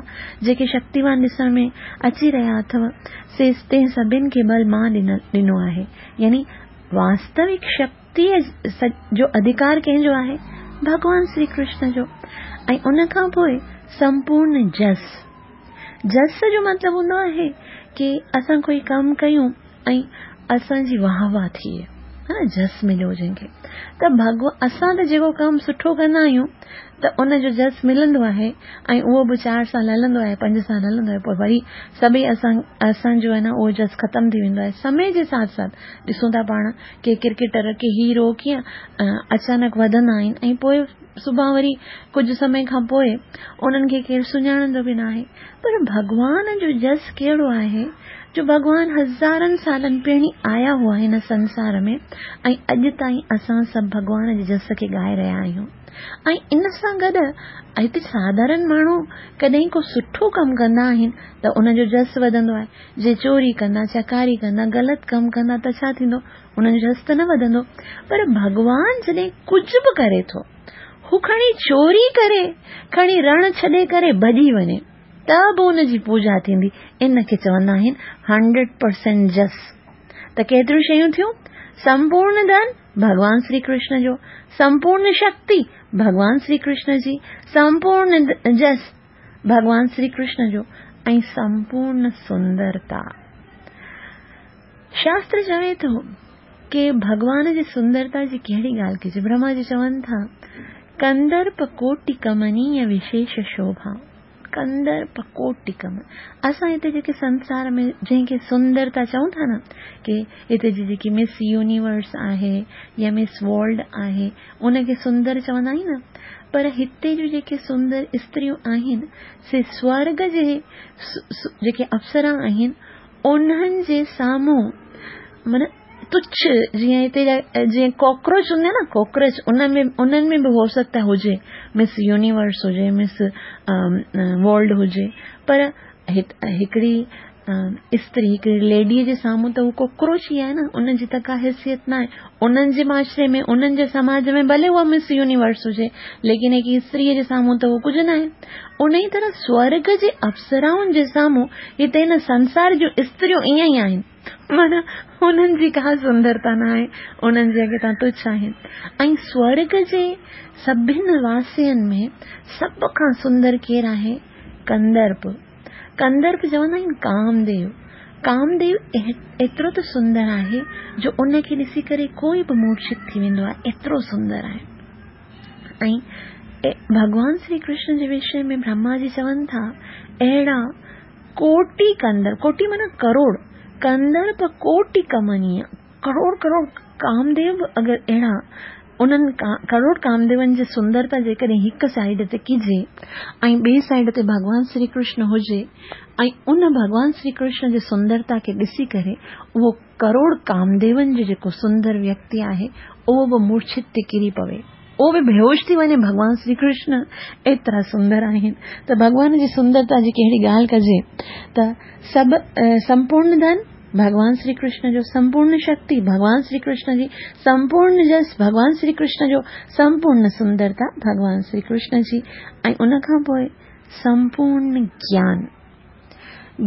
جيڪي شڪتيوان ڏسڻ ۾ اچي رهيا اٿو، سي تنهن سڀن کي بل مان ڏنو آهي. يعني واستوڪ شڪتيء جو اڌڪار ڪنهن جو آهي؟ ڀڳوان شري ڪرشن جو. ۽ ان کان پوء سمپورن جس. جس جو مطلب هوندو آهي ڪي اسان ڪوئي ڪم ڪيون ۽ اسان جي واهه واهه ٿئي، ها نه، جس مليو جنهن کي ته ڀڳو اسان ته جيڪو ڪم سٺو ڪندا آهيون ته ان جو جس ملندو آهي ۽ اهو به چار سال هلندو آهي پنج سال هلندو آهي پوء وري سڀئي اسان اسان جو آهي نه اهو جس ختم ٿي ويندو آهي سمي جي ساٿ ساٿ ڏسون ٿا پاڻ ڪي ڪرڪيٽر ڪي هيرو ڪيئن اچانڪ وڌندا آهن ۽ پوء سڀان وري ڪجهه سمي کان پوء انهن کي ڪير سڃاڻندو به ناهي پر ڀڳوان جو جس ڪهڙو آهي جو ڀڳوان هزارن سالن پهرين آيا هئا هن سنسار ۾ ۽ اڄ تائين اسان سڀ ڀڳوان جي جس کي ڳائي رهيا آهيون ۽ ان سان گڏ هتي ساڌارن ماڻهو ڪڏهن ڪو سٺو ڪم ڪندا آهن ته ان جو جس وڌندو آهي جي چوري ڪندا چڪاري ڪندا غلط ڪم ڪندا ته ڇا ٿيندو انهن جو جس ته نه وڌندو پر ڀڳوان جڏهن ڪجهه به ڪري ٿو هو کڻي چوري ڪري کڻي رڻ ڇڏي ڪري ڀڄي وڃي ته به ان جي پوڄا ٿيندي. ان کي چوندا آهن هنڊريڊ پرسينٽ جس. ته ڪيتريون شيون ٿيون؟ سمپورن ڌن، ڀڳوان شري ڪرشن جو، سمپورن شڪتي، ڀڳوان شري ڪرشن جي، سمپورن جس، ڀڳوان شري ڪرشن جو ۽ سمپورن سندرتا. شاستر چوي ٿو ڪي ڀڳوان جي سندرتا جي ڪهڙي ڳالهه ڪجي؟ برهما جي چون ٿا، ڪندرپ ڪوٽي ڪمنيه وشيش شوڀا. ڪندرپ ڪوٽي ڪم اسان هتي جيڪي سنسار ۾ جنهن کي سندرتا چئون ٿا نه ڪي هتي جي جيڪي مس يونيورس آهي يا مس ورلڊ آهي ان کي سندر چوندا آهيون نه پر هتي جون جيڪي سندر استريون آهن سي سورگ جي جيڪي اپسرا آهن انهن جي سامهون معنيٰ تڇ جيئن هتي جا جيئن ڪاڪروچ هوندا آهن نه ڪاڪروچ ان ۾ انهن ۾ به هو سگهتا هجي مس يونيورس هجي مس ورلڊ هجي پر هڪڙي استري هڪڙي ليڊي جي سامهون ته هو ڪاڪروچ ئي آهي نه ان جي ته ڪا حيثيت نه آهي انهن جي معاشري ۾ انهن جي سماج ۾ ڀلي اها مس يونيورس هجي ليڪن هڪ استري جي سامهون ته هو ڪجهه نه آهي انهي طرح سورڳ جي اپسرائن جي سامهون هتي هن سنسار جون استريون ائين ئي آهن، معنيٰ انهن جي ڪا سندرتا نه آهي، انهن جي اڳتان تڇ آهن. ۽ سورڳ جي سڀن واسين ۾ سڀ کان سندر ڪير آهي؟ ڪندرپ. ڪندرپ چوندا آهن ڪامديو. ڪامديو ايترو ته سندر آهي جو ان کي ڏسي ڪري ڪوئي به مورڇت ٿي ويندو آهي، ايترو سندر آهي. ۽ ڀڳوان شري ڪرشن جي وشي ۾ برهما جي چون ٿا اهڙا ڪوٽي ڪندر ڪوٽي معنيٰ ڪروڙ ڪندرپ ڪوٽي ڪمنيه ڪروڙ ڪروڙ ڪامديو به اگر اهڙا انهن ڪروڙ ڪامديون جي سندرتا جيڪڏهن هڪ سائيڊ تي ڪجي ۽ ٻي سائيڊ تي ڀڳوان شري ڪرشن هجي ۽ ان ڀڳوان شري ڪرشن جي سندرتا کي ڏسي ڪري اهو ڪروڙ ڪامديون جو جيڪو سندر ويڪتي آهي، اهو به مورڇت تي ڪري پوي، اهو به بيهوش ٿي وڃي، ڀڳوان شري ڪرشن ايترا سندر آهن ته ڀڳوان جي سندرتا جي ڪهڙي ڳالهه ڪجي ته سڀ سمپورن ڌن ڀڳوان شري ڪرشن جو، سمپورن شڪتي ڀڳوان شري ڪرشن جي، سمپورن جس ڀڳوان شري ڪرشن جو، سمپورن سندرتا ڀڳوان شري ڪرشن جي ۽ ان کان پوء سمپورن گيان.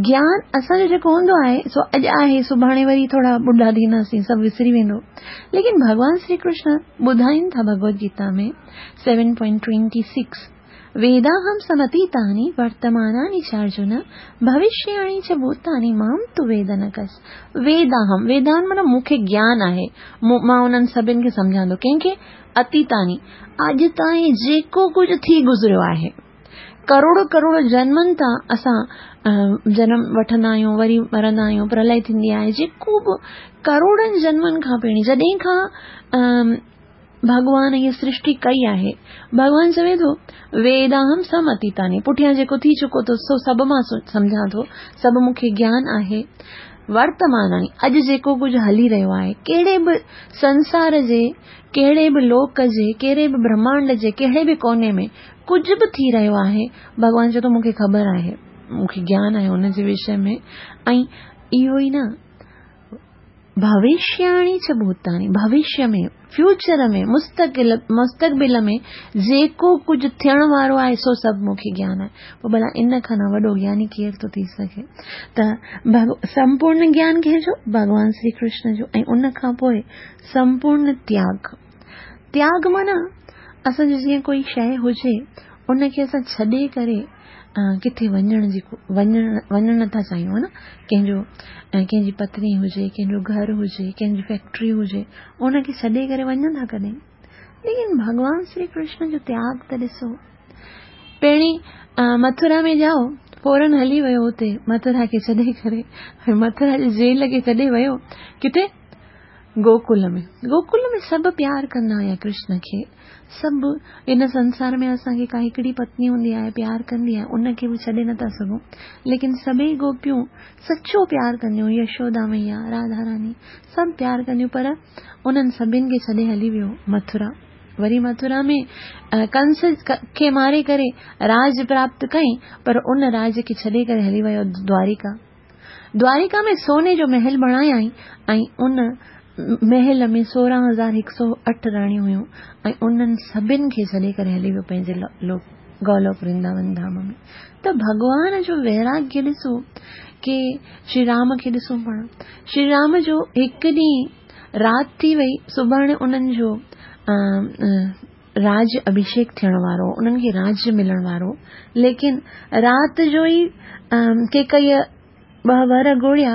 گيان اسان جو جيڪو هوندو آهي سو اڄ آهي سڀاڻي وري ٿورا ٻڍا ٿينداسين سڀ وسري ويندو ليڪن ڀڳوان شري ڪرشن ٻڌائين ٿا ڀڳوت گيتا ۾ 7.26 ويداهم سمتيتاني ورتماناني چارجن ڀوشياڻي چ ڀوتاني مام تو ويد نه ڪس ويداهم ويدان معنيٰ مون کي گيان آهي مان انهن سڀن کي سمجهان ٿو ڪنهن کي اتيتاني اڄ تائين جيڪو ڪجهه ٿي گذريو آهي ڪروڙ ڪروڙ جنمن تان اسان جنم وٺندا آهيون وري مرندا آهيون پرلئي ٿيندي آهي جيڪو به ڪروڙن جنمن کان پهرين جڏهن کان ڀڳوان هيء سرشٽي ڪئي آهي. ڀڳوان چوي ٿو، ويداهم سم اتيتاني، پٺيان جيڪو ٿي چڪو ٿو سو سڀ مان سمجهان ٿو، سڀ مون کي گيان آهي. ورتماناڻي، اڄ جيڪو ڪجهه هلي رهيو آهي، ڪهڙي به سنسار جي، ڪهڙي به لوڪ جي، ڪهڙي به برهمانڊ جي ڪهڙي به ڪوني ۾ ڪجهه به ٿي رهيو آهي، ڀڳوان چوي ٿو مون کي خبر آهي، مون کي گيان آهي ان جي وشي ۾. ۽ اهو ئي نه، ڀوشياڻي چ ڀوتاڻي، ڀوشيه ۾، فيوچر ۾، مستقل، مستقبل ۾ جيڪو ڪجهه ٿيڻ وارو آهي سو سڀ مون کي گيان آهي. پوء ڀلا ان کان نه وڏو گياني ڪير ٿو ٿي سگهي؟ ته سمپورڻ گيان ڪنهن جو؟ ڀڳوان شري ڪرشن جو. ۽ ان کان پوء سمپورڻ تياڳ. تياڳ معنيٰ اسان جو جيئن ڪوئي شيء هجي ان کي اسان ڇڏي ڪري ڪٿي وڃڻ جي وڃڻ وڃڻ نٿا چاهيون ها نه ڪنهن جو ڪنهن جي پتني هجي ڪنهن جو گهر هجي ڪنهن جي فيڪٽري هجي ان کي ڇڏي ڪري وڃن ٿا ڪڏهن ليڪن ڀڳوان شري ڪرشن جو تياڳ ته ڏسو پهرين مٿرا ۾ ڄائو فورن هلي ويو اتي مٿرا کي ڇڏي ڪري مٿرا جي جيل کي ڇڏي ويو ڪٿي گوڪل ۾. گوڪل ۾ سڀ پيار ڪندا هيا ڪرشن کي. سڀ هن سنسار ۾ اسان کي ڪا هڪڙي پتني هوندي آهي پيار ڪندي آهي ان کي به ڇڏي نٿا سگهون ليڪن سڀئي گوپيون سچو پيار ڪنديون يشودا مئيا راڌا راني سڀ پيار ڪنديون پر انهن سڀن کي ڇڏي هلي ويو مٿرا وري مٿرا ۾ ڪنس کي ماري ڪري راج پراپت ڪئي پر ان راج کي ڇڏي ڪري هلي ويو دواريڪا دواريڪا ۾ سوني جو محل بڻايائين ۽ ان محل ۾ 16008 راڻيون هيون ۽ انهن سڀن کي ڇڏي ڪري هلي ويو پنهنجي لوڪ گولوڪ ورنداون ڌام ۾ ته ڀڳوان جو ويراگيه ڏسو ڪي شري رام کي ڏسون پاڻ شري رام جو هڪ ڏينهن رات ٿي وئي سڀاڻي انهن جو راج اڀيشيڪ ٿيڻ وارو هو، انهن کي راج ملڻ وارو هو، ليڪن رات جو ئي ڪيڪئيء ٻه ور ڳوڙيا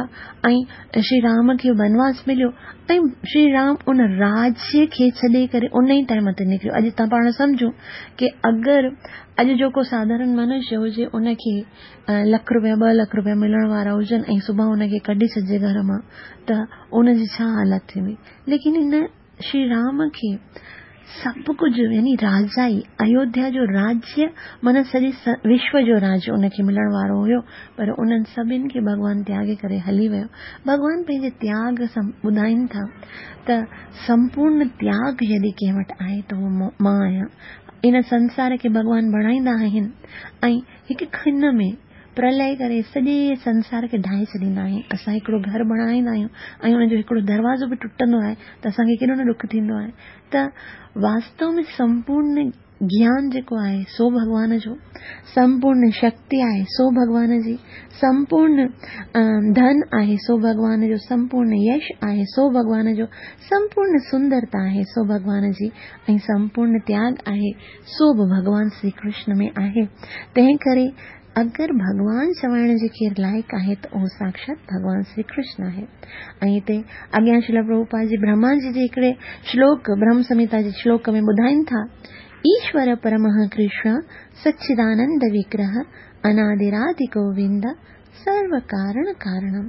۽ شري رام کي ونواس مليو ۽ شري رام ان راج کي ڇڏي ڪري ان ئي ٽائيم تي نڪريو. اڄ تان پاڻ سمجهون ڪي اگر اڄ جو ڪو ساڌارڻ منشيه هجي ان کي لک روپيا ٻه لک روپيا ملڻ وارا هجن ۽ صبح ان کي ڪڍي ڇڏجي گهر مان ته ان جي ڇا حالت ٿيندي ليڪن هن شري رام کي سڀ ڪجهه يعني راجائي، ايوڌيا جو راجيه معنيٰ سڄي وشو جو راج ان کي ملڻ وارو هيو پر انهن سڀن کي ڀڳوان تياڳي ڪري هلي ويو. ڀڳوان پنهنجي تياڳ سان ٻڌائين ٿا ته سمپورن تياڳ يدي ڪنهن وٽ آهي ته اهو مان آهيان. ان سنسار کي ڀڳوان بڻائيندا آهن ۽ هڪ کن ۾ پرلئه ڪري سڄي سنسار کي ڊاهي ڇڏيندا آهن. اسان هڪڙو گهر بڻائيندا آهيون ۽ ان جو هڪڙو دروازو به ٽٽندو آهي ته اسان کي ڪيڏو نه ڏک ٿيندو آهي ته واستو ۾ سمپورن گيان جيڪو آهي سو ڀڳوان جو، سمپورن شڪتي آهي سو ڀڳوان جي، سمپورن ڌن آهي سو ڀڳوان جو، سمپورن يش آهي سو ڀڳوان جو، سمپورن سندرتا آهي سو ڀڳوان جي ۽ سمپورن تياڳ آهي سو به ڀڳوان شري ڪرشن ۾ آهي. تنهن ڪري اگر ڀڳوان چوائڻ جي ڪير لائق آهي ته اهو ساڪشات ڀڳوان شري ڪرشن آهي. ۽ هتي اڳيان شريل پرڀوپاد جي برهما جي جي هڪڙي شلوڪ برهم سمهتا جي شلوڪ ۾ ٻڌائين ٿا، ايشور پرمه ڪرشن سچدانند وگرهه اناديرادي گووند سرو ڪارڻ ڪارڻم.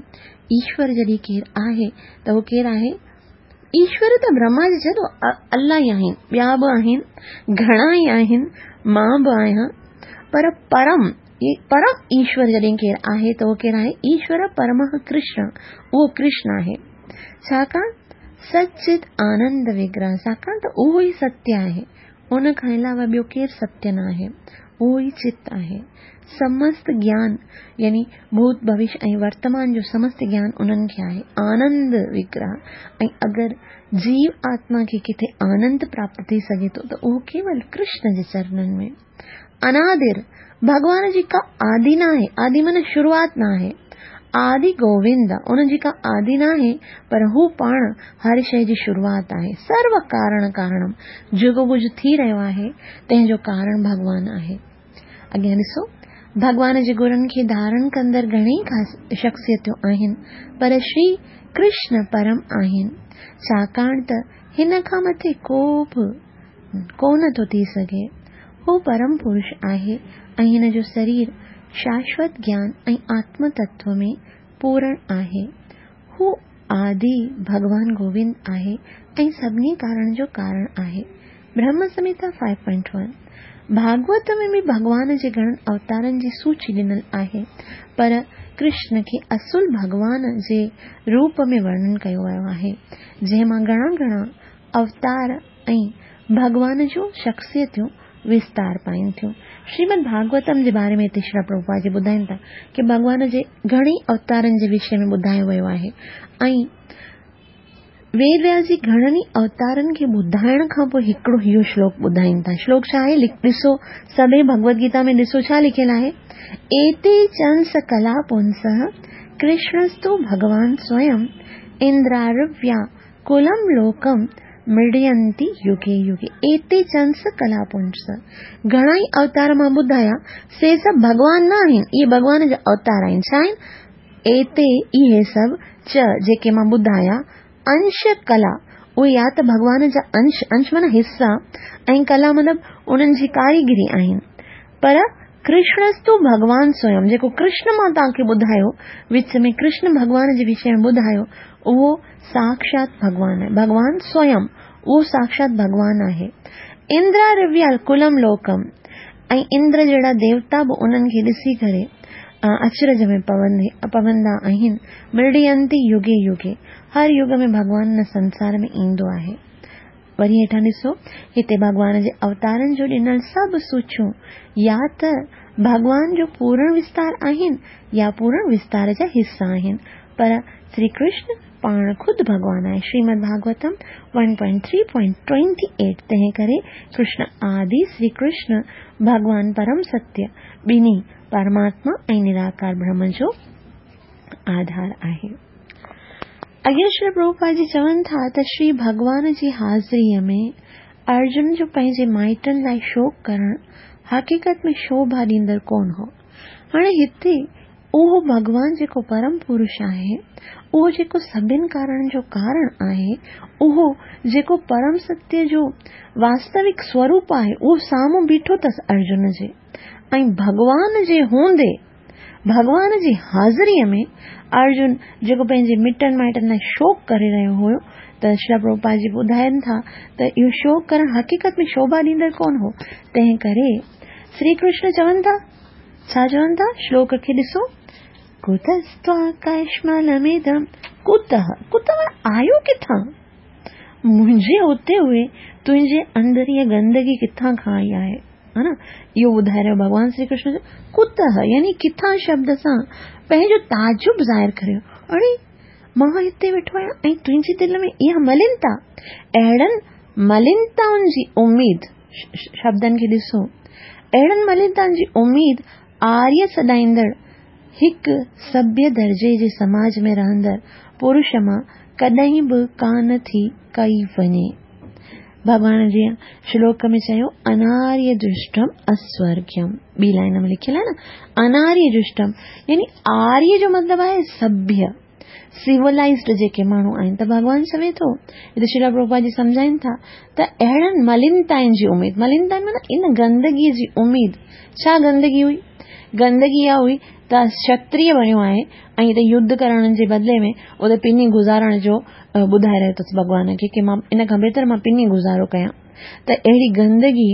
ايشور جڏهن ڪير آهي ته اهو ڪير آهي؟ ايشور ته برهما جي ڇڏو الله ئي آهن، ٻيا به آهن، گهڻا ئي آهن، مان به آهيان، پر پرم پرم ايشور جڏهن ڪير آهي ته اهو ڪير آهي؟ ايشور پرمه ڪرشن، اهو ڪرشن آهي. ڇاڪاڻ سچت آنند وگرهه، ڇاڪاڻ ته اهو ئي ستيه آهي، ان کان علاوه ٻيو ڪير ستيه نه آهي، اهو ئي چت آهي. سمست گيان يعني ڀوت، ڀوش ۽ ورتمان جو سمست گيان انهن کي آهي. آنند وگرهه ۽ اگر جيو آتما کي ڪٿي آنند پراپت ٿي سگهي ٿو ته اهو ڪيول ڪرشن جي چرنن ۾. انادر، ڀڳوان جي ڪا آدي ناهي، آدي معنيٰ شروعات ناهي. آدي گووند، ان جي ڪا آدي ناهي پر هو پاڻ هر شيء جي شروعات آهي. سرو ڪارڻ ڪارڻم، جيڪو ڪجهه ٿي رهيو آهي تنهن جو ڪارڻ ڀڳوان آهي. اڳيان ڏسو، ڀڳوان جي گڻن کي ڌارڻ ڪندڙ گهڻيئي شخصيتون آهن، پر شري ڪرشن پرم آهن، ڇاڪاڻ ته هن کان مٿي ڪو به ڪونه ٿو ٿي سگهي. هو پرم پرش آهي ۽ هن جو سرير شاشوت گيان ۽ آتم تتو ۾ پورڻ آهي. هو آدي ڀڳوان گووند آهي ۽ سڀني ڪارڻ جو ڪارڻ آهي. برهم سمهتا 5.1. ڀاڳوت ۾ به ڀڳوان جي گهڻن اوتارن جي سوچي ڏنل آهي، پر ڪرشن کي اصل ڀڳوان جي روپ ۾ ورڻن ڪيو ويو آهي، جنهن مان گهڻا گهڻا اوتار ۽ ڀڳوان جون شخصيتون وستار پائين ٿيون. شريمد ڀاڳوتم جي باري ۾ هتي شريلا پرڀوپاد جي ٻڌائين ٿا ڪي ڀڳوان جي گهڻي اوتارن جي وشي ۾ ٻڌايو ويو آهي ۽ ويد وياس جي گهڻن ئي اوتارن کي ٻڌائڻ کان پوء هڪڙو اهو شلوڪ ٻڌائين ٿا. شلوڪ ڇا آهي؟ ڏسو سڀئي ڀڳوت گيتا ۾ ڏسو ڇا لکيل آهي؟ ايتي چنس ڪلا پونسه ڪرشڻستو ڀڳوان سويم اندرارव्या ڪلم لوڪم مڙينتي يگي يگي. ايتي چنس ڪلا پونس. گهڻا ئي اوتار مان ٻڌايا، سي سڀ ڀڳوان نه آهن، اهي ڀڳوان جا اوتار آهن. ڇا آهن؟ ايتي، اهي سڀ، چ، جيڪي مان ٻڌايا، انش ڪلا، اهي يا ته ڀڳوان جا انش، انش معنيٰ حصا، ۽ ڪلا مطلب انهن جي ڪاريگري آهن. پر ڪرشڻستو ڀڳوان سويم، جيڪو ڪرشن مان توهان کي ٻڌايو، وچ ۾ ڪرشن ڀڳوان جي وشي ۾ ٻڌايو، اهو ساکشات ڀڳوان آهي. ڀڳوان سويم، اهو ساکشات ڀڳوان آهي. اندرا ڪلم لوڪم، ۽ اندر جهڙا ديوتا به انهن کي ڏسي ڪري اچرج ۾ پوندا آهن. مڙينتي يگي يگي، هر يگ ۾ ڀڳوان هن سنسار ۾ ايندو آهي. وري هيٺان ڏسو، هتي ڀڳوان جي اوتارن جو ڏنل سڀ سوچيون يا ته ڀڳوان جو پورڻ وستار آهن يا پورڻ وستار جا حصا آهن، پر شري ڪرشن پاڻ خود ڀڳوان آهي، شريمد ڀاڳوتم 1.3.28، تنهن ڪري ڪرشن آدي شري ڪرشن ڀڳوان پرم ستيه، ٻنهي، پرماتما ۽ نراڪار برهم جو آڌار آهي. اڳيان شري پرڀوپاد جي چون ٿا ته شري ڀڳوان جي حاضريء ۾ ارجن جو پنهنجي مائٽن لاء شوڪ ڪرڻ حقيقت ۾ شوڀا ڏيندڙ ڪونه هو. هاڻي هتي اهو ڀڳوان جيڪو پرم پرش آهي، اهو جيڪو سڀن ڪارڻن جو ڪارڻ آهي، اهو جيڪو پرم ستيه جو واستوڪ سوروپ آهي، اهو سامهون بيٺو اٿس ارجن جي ۽ ڀڳوان جي هوندي، ڀڳوان جي حاضريء ۾ ارجن جيڪو پنهنجي مٽن مائٽن لاء شوڪ ڪري رهيو هيو ته شريلا پرڀوپاد جي ٻڌائن ٿا ته اهو شوڪ ڪرڻ حقيقت ۾ شوڀا ڏيندڙ ڪونه هو، تنهن ڪري شري ڪرشن چون ٿا. ڇا چون ٿا؟ شلوڪ کي ڏسو. ڪتستواڪشملمدم ڪتهه، ڪتهه معنيٰ آيو ڪٿان؟ منهنجي هتي هئي تنهنجي اندر هيء گندگي ڪٿان کان آئي آهي؟ ها نه؟ اهو ٻڌائي رهيو ڀڳوان شري ڪرشن جو ڪتهه يعني ڪٿان شبد سان پنهنجو تعجب ظاهر ڪريو. اڙي مان هتي ويٺو آهيان ۽ تنهنجي دل ۾ اها ملينتا، اهڙن ملينتائن جي اميد، شبدن کي ڏسو. اهڙن ملينتائن جي اميد آريه سڏائيندڙ هڪ سڀيه درجي جي سماج ۾ رهندڙ پرش مان ڪڏهن به ڪانه ٿي ڪئي وڃي. ڀڳوان جيئن شلوڪ ۾ چيو اناريه دشٽم اسورگيم، ٻي لائن ۾ لکيل آهي نه اناريه دشٽم يعني آريه جو مطلب آهي سڀيه، سولائيزڊ جيڪي ماڻهو آهن ته ڀڳوان چوي ٿو هتي شريلا پرڀوپاد جي سمجهائين ٿا ته اهڙن ملينتائن جي اميد، ملينتائن معنيٰ ان گندگي جي اميد، ڇا گندگي هئي؟ گندگي اها هئي ته ڪشتريه بڻيو آهي ۽ هتي يڌ ڪرڻ جي بدلي ۾ اتي پني گذارڻ جو ٻڌائي رهيو اٿس ڀڳوان کي ڪي مان ان کان بهتر مان پني گذارو ڪيان ته اهڙي گندگي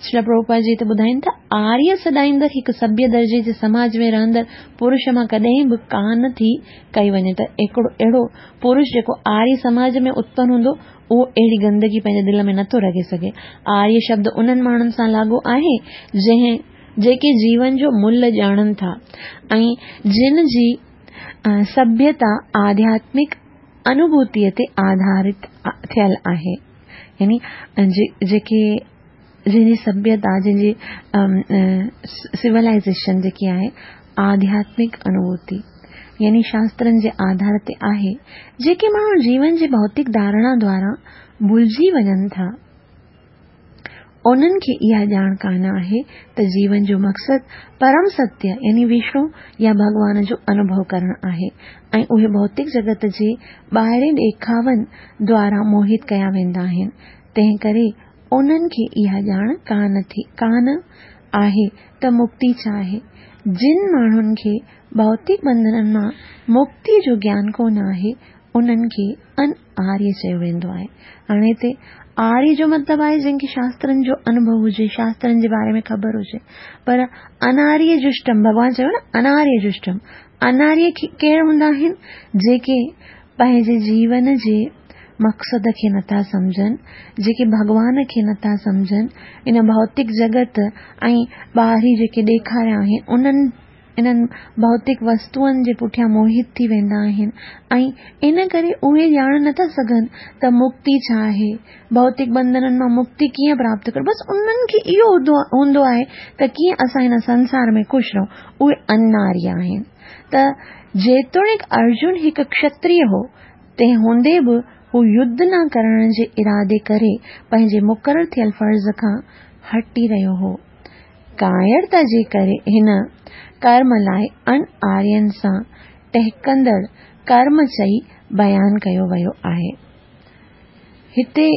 شريلا پرڀوپاد جي هتي ٻڌائين ٿا، آريه سڏائيندڙ هڪ سڀيه درجي جي سماج ۾ رهندڙ پرش مان ڪڏهن به ڪانه ٿي ڪئي وڃي ته هڪڙو اهڙو پرش جيڪو آريه سماج ۾ اتپن هوندو اهو اهڙي گندگي پنهنجي دل ۾ نٿو رکي سگهي. آريه شبد انهن ماڻهن سان لاڳو آهي جنهن جيڪي جيون جو ملهه ڄاڻن ٿا ۽ جن جي سڀيتا آڌياتمڪ انوڀوتيء تي آڌارت ٿيل آهي. يعني جيڪي جنهن جي سڀيتا جنهن جي سولائيزيشن جيڪي آهي آڌياتمڪ انوڀوتي يعني شاسترن جي آڌار تي آهي، جيڪي ماڻهو جيون جي ڀوتڪ ڌارڻا دوارا ڀلجي وڃن ٿا، انهن کي اها ڄاڻ ڪانه آهي ته جيون جو مقصد پرم ستيه يعني وشنو يا ڀڳوان جو انوڀو ڪرڻ آهي ۽ اهي ڀوتڪ جڳت جي ٻاهرين ڏيکاون دوارا موهت ڪيا ويندا آهن، تنهن ڪري انهن کي اها ڄاڻ ڪانه آهي ته مڪتي ڇا آهي. جن ماڻهن کي ڀوتڪ بنڌنن مان مڪتيء جو گيان ڪونه آهي، انهن کي ان آريه چيو ويندو آهي. هاڻي هتي آريه جو مطلب آهي جنهن کي شاسترن جو انوڀو هجي، شاسترن جي باري ۾ خبر هجي. پر اناريه جشٽم، ڀڳوان چيو نه اناريه جشٽم، اناريه ڪير هوندا آهن؟ جيڪي پنهنجي جيون جي مقصد کي نٿا سمجهن، جيڪي ڀڳوان کي نٿا سمجهن، ان ڀوتڪ جڳت ۽ ٻاهرين جيڪي ڏيکاريا آهن انهن انهن ڀوتڪ وستوئن جي پٺيان موهت ٿي ويندا آهن ۽ ان ڪري اهي ڄاڻ نٿا سگهن ته مڪتي ڇا آهي، ڀوتڪ بنڌنن مان مڪتي ڪيئن پراپت ڪريون، بس انهن کي اهو هوندو آهي ته ڪيئن اسان هن سنسار ۾ خوش رهون، اهي اناريه آهن. ته جيتوڻيڪ ارجن هڪ کشتريه هو، تنهن هوندي به هو يڌ نه ڪرڻ جي ارادي ڪري پنهنجي مقرر ٿيل فرض کان هٽي رهيو هو. ڪائرتا جي ڪري هن ڪرم لاء اڻ آرين سان ٽهڪندڙ ڪرم چئي بيان ڪيو ويو آهي. هتي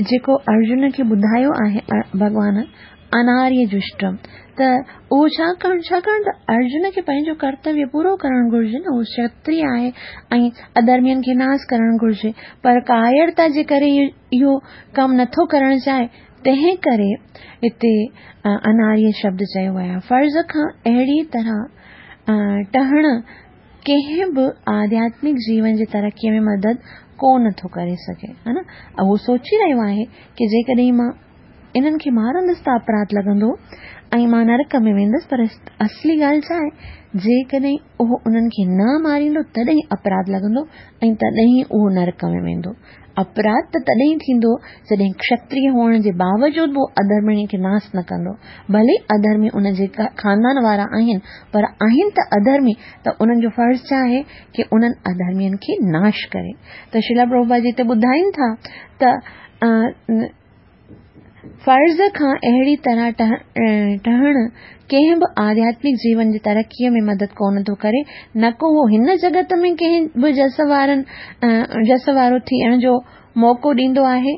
جيڪو ارجن کي ٻڌايو آهي ڀڳوان اناريه جشٽم ته اهو ڇا ڪرڻ ڇاڪاڻ ته ارجن کي پنهنجو ڪرتويه پورو ڪرڻ گهرجي نه هو ڪشتريه آهي ۽ اڌرمين کي ناس ڪرڻ گهرجي پر ڪائرتا جي ڪري اهو ڪم نٿو ڪرڻ چاهي تنهن ڪري هتي اناريه شبد چيو ويو آهي. فرض کان اهڙي طرح ٽهڻ ڪنهن به آڌياتمڪ جيون جي ترقيء ۾ مدد ڪو نه ٿو ڪري سگهي. ها نه؟ اهو سوچي رهيو آهي ڪي جيڪڏهن مان انهن کي مارندس ته اپراڌ لڳندو ۽ مان نرڪ ۾ ويندس پر اصلي ڳالهه ڇا آهي جيڪڏهن اهو انهن کي نه ماريندو تڏهن اپراڌ لڳندو ۽ تڏهن اهو نرڪ ۾ ويندو. اپراڌ ته تڏهن ٿيندو جڏهن کشتريه هئڻ جي باوجود به اڌرمڻي کي ناس نه ڪندو. ڀلي اڌرمي ان جي خاندان وارا آهن پر آهن ته اڌرمي ته انهن جو فرض ڇا آهي ڪي انهن اڌرمين کي ناش ڪري. ته شريلا پرڀوپاد جي هتي ٻڌائين ٿا ته فرض کان اهڙي طرح ٽهڻ ڪنهن به آڌياتمڪ جيون جي ترقيء ۾ مدد ڪونه ٿو ڪري، نه ڪو اهو هن جڳت ۾ ڪنهن به جس وارن جس وارو ٿيڻ جو موقعو ڏيندو آهي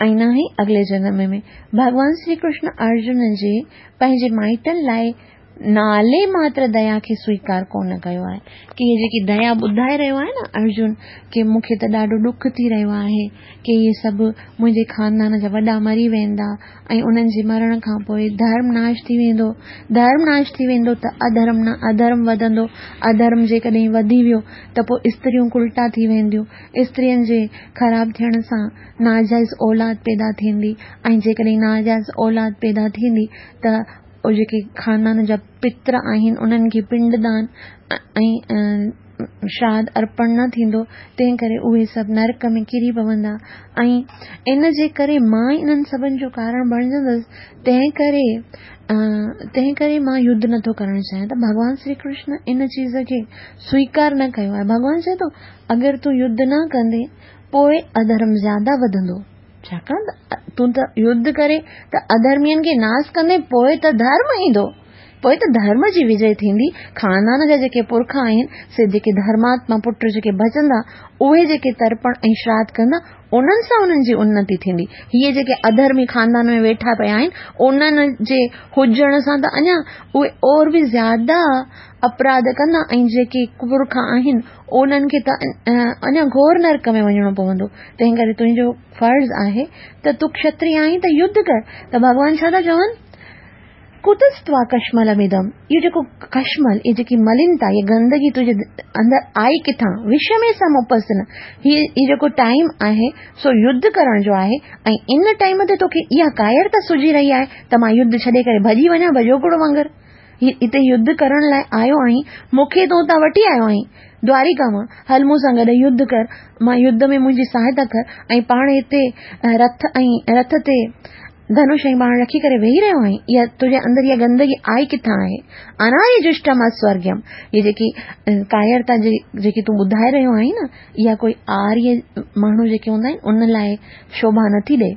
۽ نه ئي اڳلي جنم ۾. ڀڳوان شري ڪرشن ارجن جي پنهنجي مائٽن لاء نالي ماتر ديا کي سويڪار ڪونه ڪيو آهي ڪي هي جيڪي ديا ٻڌائي رهيو آهي نه ارجن ڪي مون کي ته ڏاڍو ڏک ٿي رهيو آهي ڪي اهي سڀ منهنجي خاندان جا وڏا مري ويندا ۽ انهن جي مرڻ کان پوء ڌرم ناش ٿي ويندو ڌرم ناش ٿي ويندو ته اڌرم نه اڌرم وڌندو اڌرم جيڪڏهن وڌي ويو ته پوء استريون ڪلٽا ٿي وينديون استرين جي خراب ٿيڻ سان ناجائز اولاد پيدا ٿيندي ۽ جيڪڏهن ناجائز اولاد پيدا ٿيندي ته اهي جيڪي خاندان جا پتر آهن انهن کي پنڊ دان ۽ شراڌ ارپڻ نه ٿيندو تنهن ڪري اهي سڀ نرڪ ۾ ڪري پوندا ۽ ان جي ڪري مان ئي انهن سڀن جو ڪارڻ بڻجندس تنهن ڪري تنهن ڪري مان يڌ نٿو ڪرڻ چاهيان ته ڀڳوان شري ڪرشن ان چيز کي سويڪار نه ڪيو آهي ڀڳوان چئي ٿو اگر تون يڌ نه ڪندين پوء اڌرم زياده وڌندو ڇاڪاڻ ته تون ته يڌ ڪري ته اڌرمين کي ناس ڪندين پوء ته ڌرم ايندو، پوء ته ڌرم جي وجي ٿيندي، خاندان جا جيڪي پرک آهن سي جيڪي ڌرماتما پٽ جيڪي بچندا اهي جيڪي ترپڻ ۽ شراڌ ڪندا انهن سان انهن جي انتي ٿيندي، هيء جيڪي اڌرمي خاندان ۾ ويٺا پيا آهن انهن جي هجڻ سان ته اڃا اهي اور به زياده اپراڌ ڪندا ۽ جيڪي پرک آهن انهن کي ته اڃا گهور نرڪ ۾ وڃڻو پوندو، تنهن ڪري تنهنجو فرض آهي ته تون کشتري آهين ته يڌ ڪر. ته ڀڳوان ڇا ٿا چون؟ ڪتستوا ڪشملمدم، اهو جيڪو ڪشمل، اهي جيڪي ملينتا، اها گندگي تنهنجي اندر آئي ڪٿان؟ وشمي سم اپسن، هي جيڪو ٽائيم آهي سو يڌ ڪرڻ جو آهي ۽ ان ٽائيم تي توکي اها ڪائرتا سجهي رهي آهي ته مان يڌ ڇڏي ڪري ڀڄي وڃان ڀڄوڪڙو وانگر. هي هتي يڌ ڪرڻ لاء آيو آهين، مون کي تون اتان وٺي آيو آهين، دواريڪا مان، هل مون سان گڏ يڌ ڪر، مان يڌ ۾ منهنجي سهائتا ڪر ۽ پاڻ هتي رٿ ۽ رٿ تي ڌنش ۽ ٻاڻ رکي ڪري ويهي رهيو آهين، اها تنهنجي اندر اها گندگي آئي ڪٿان آهي؟ اناري جشٽم اسورگيم، هي جيڪي ڪائرتا جي جيڪي تون ٻڌائي رهيو آهين نه، اها ڪوئي آريه ماڻهو جيڪي هوندا آهن، ان لاء شوڀا نٿي ڏئي.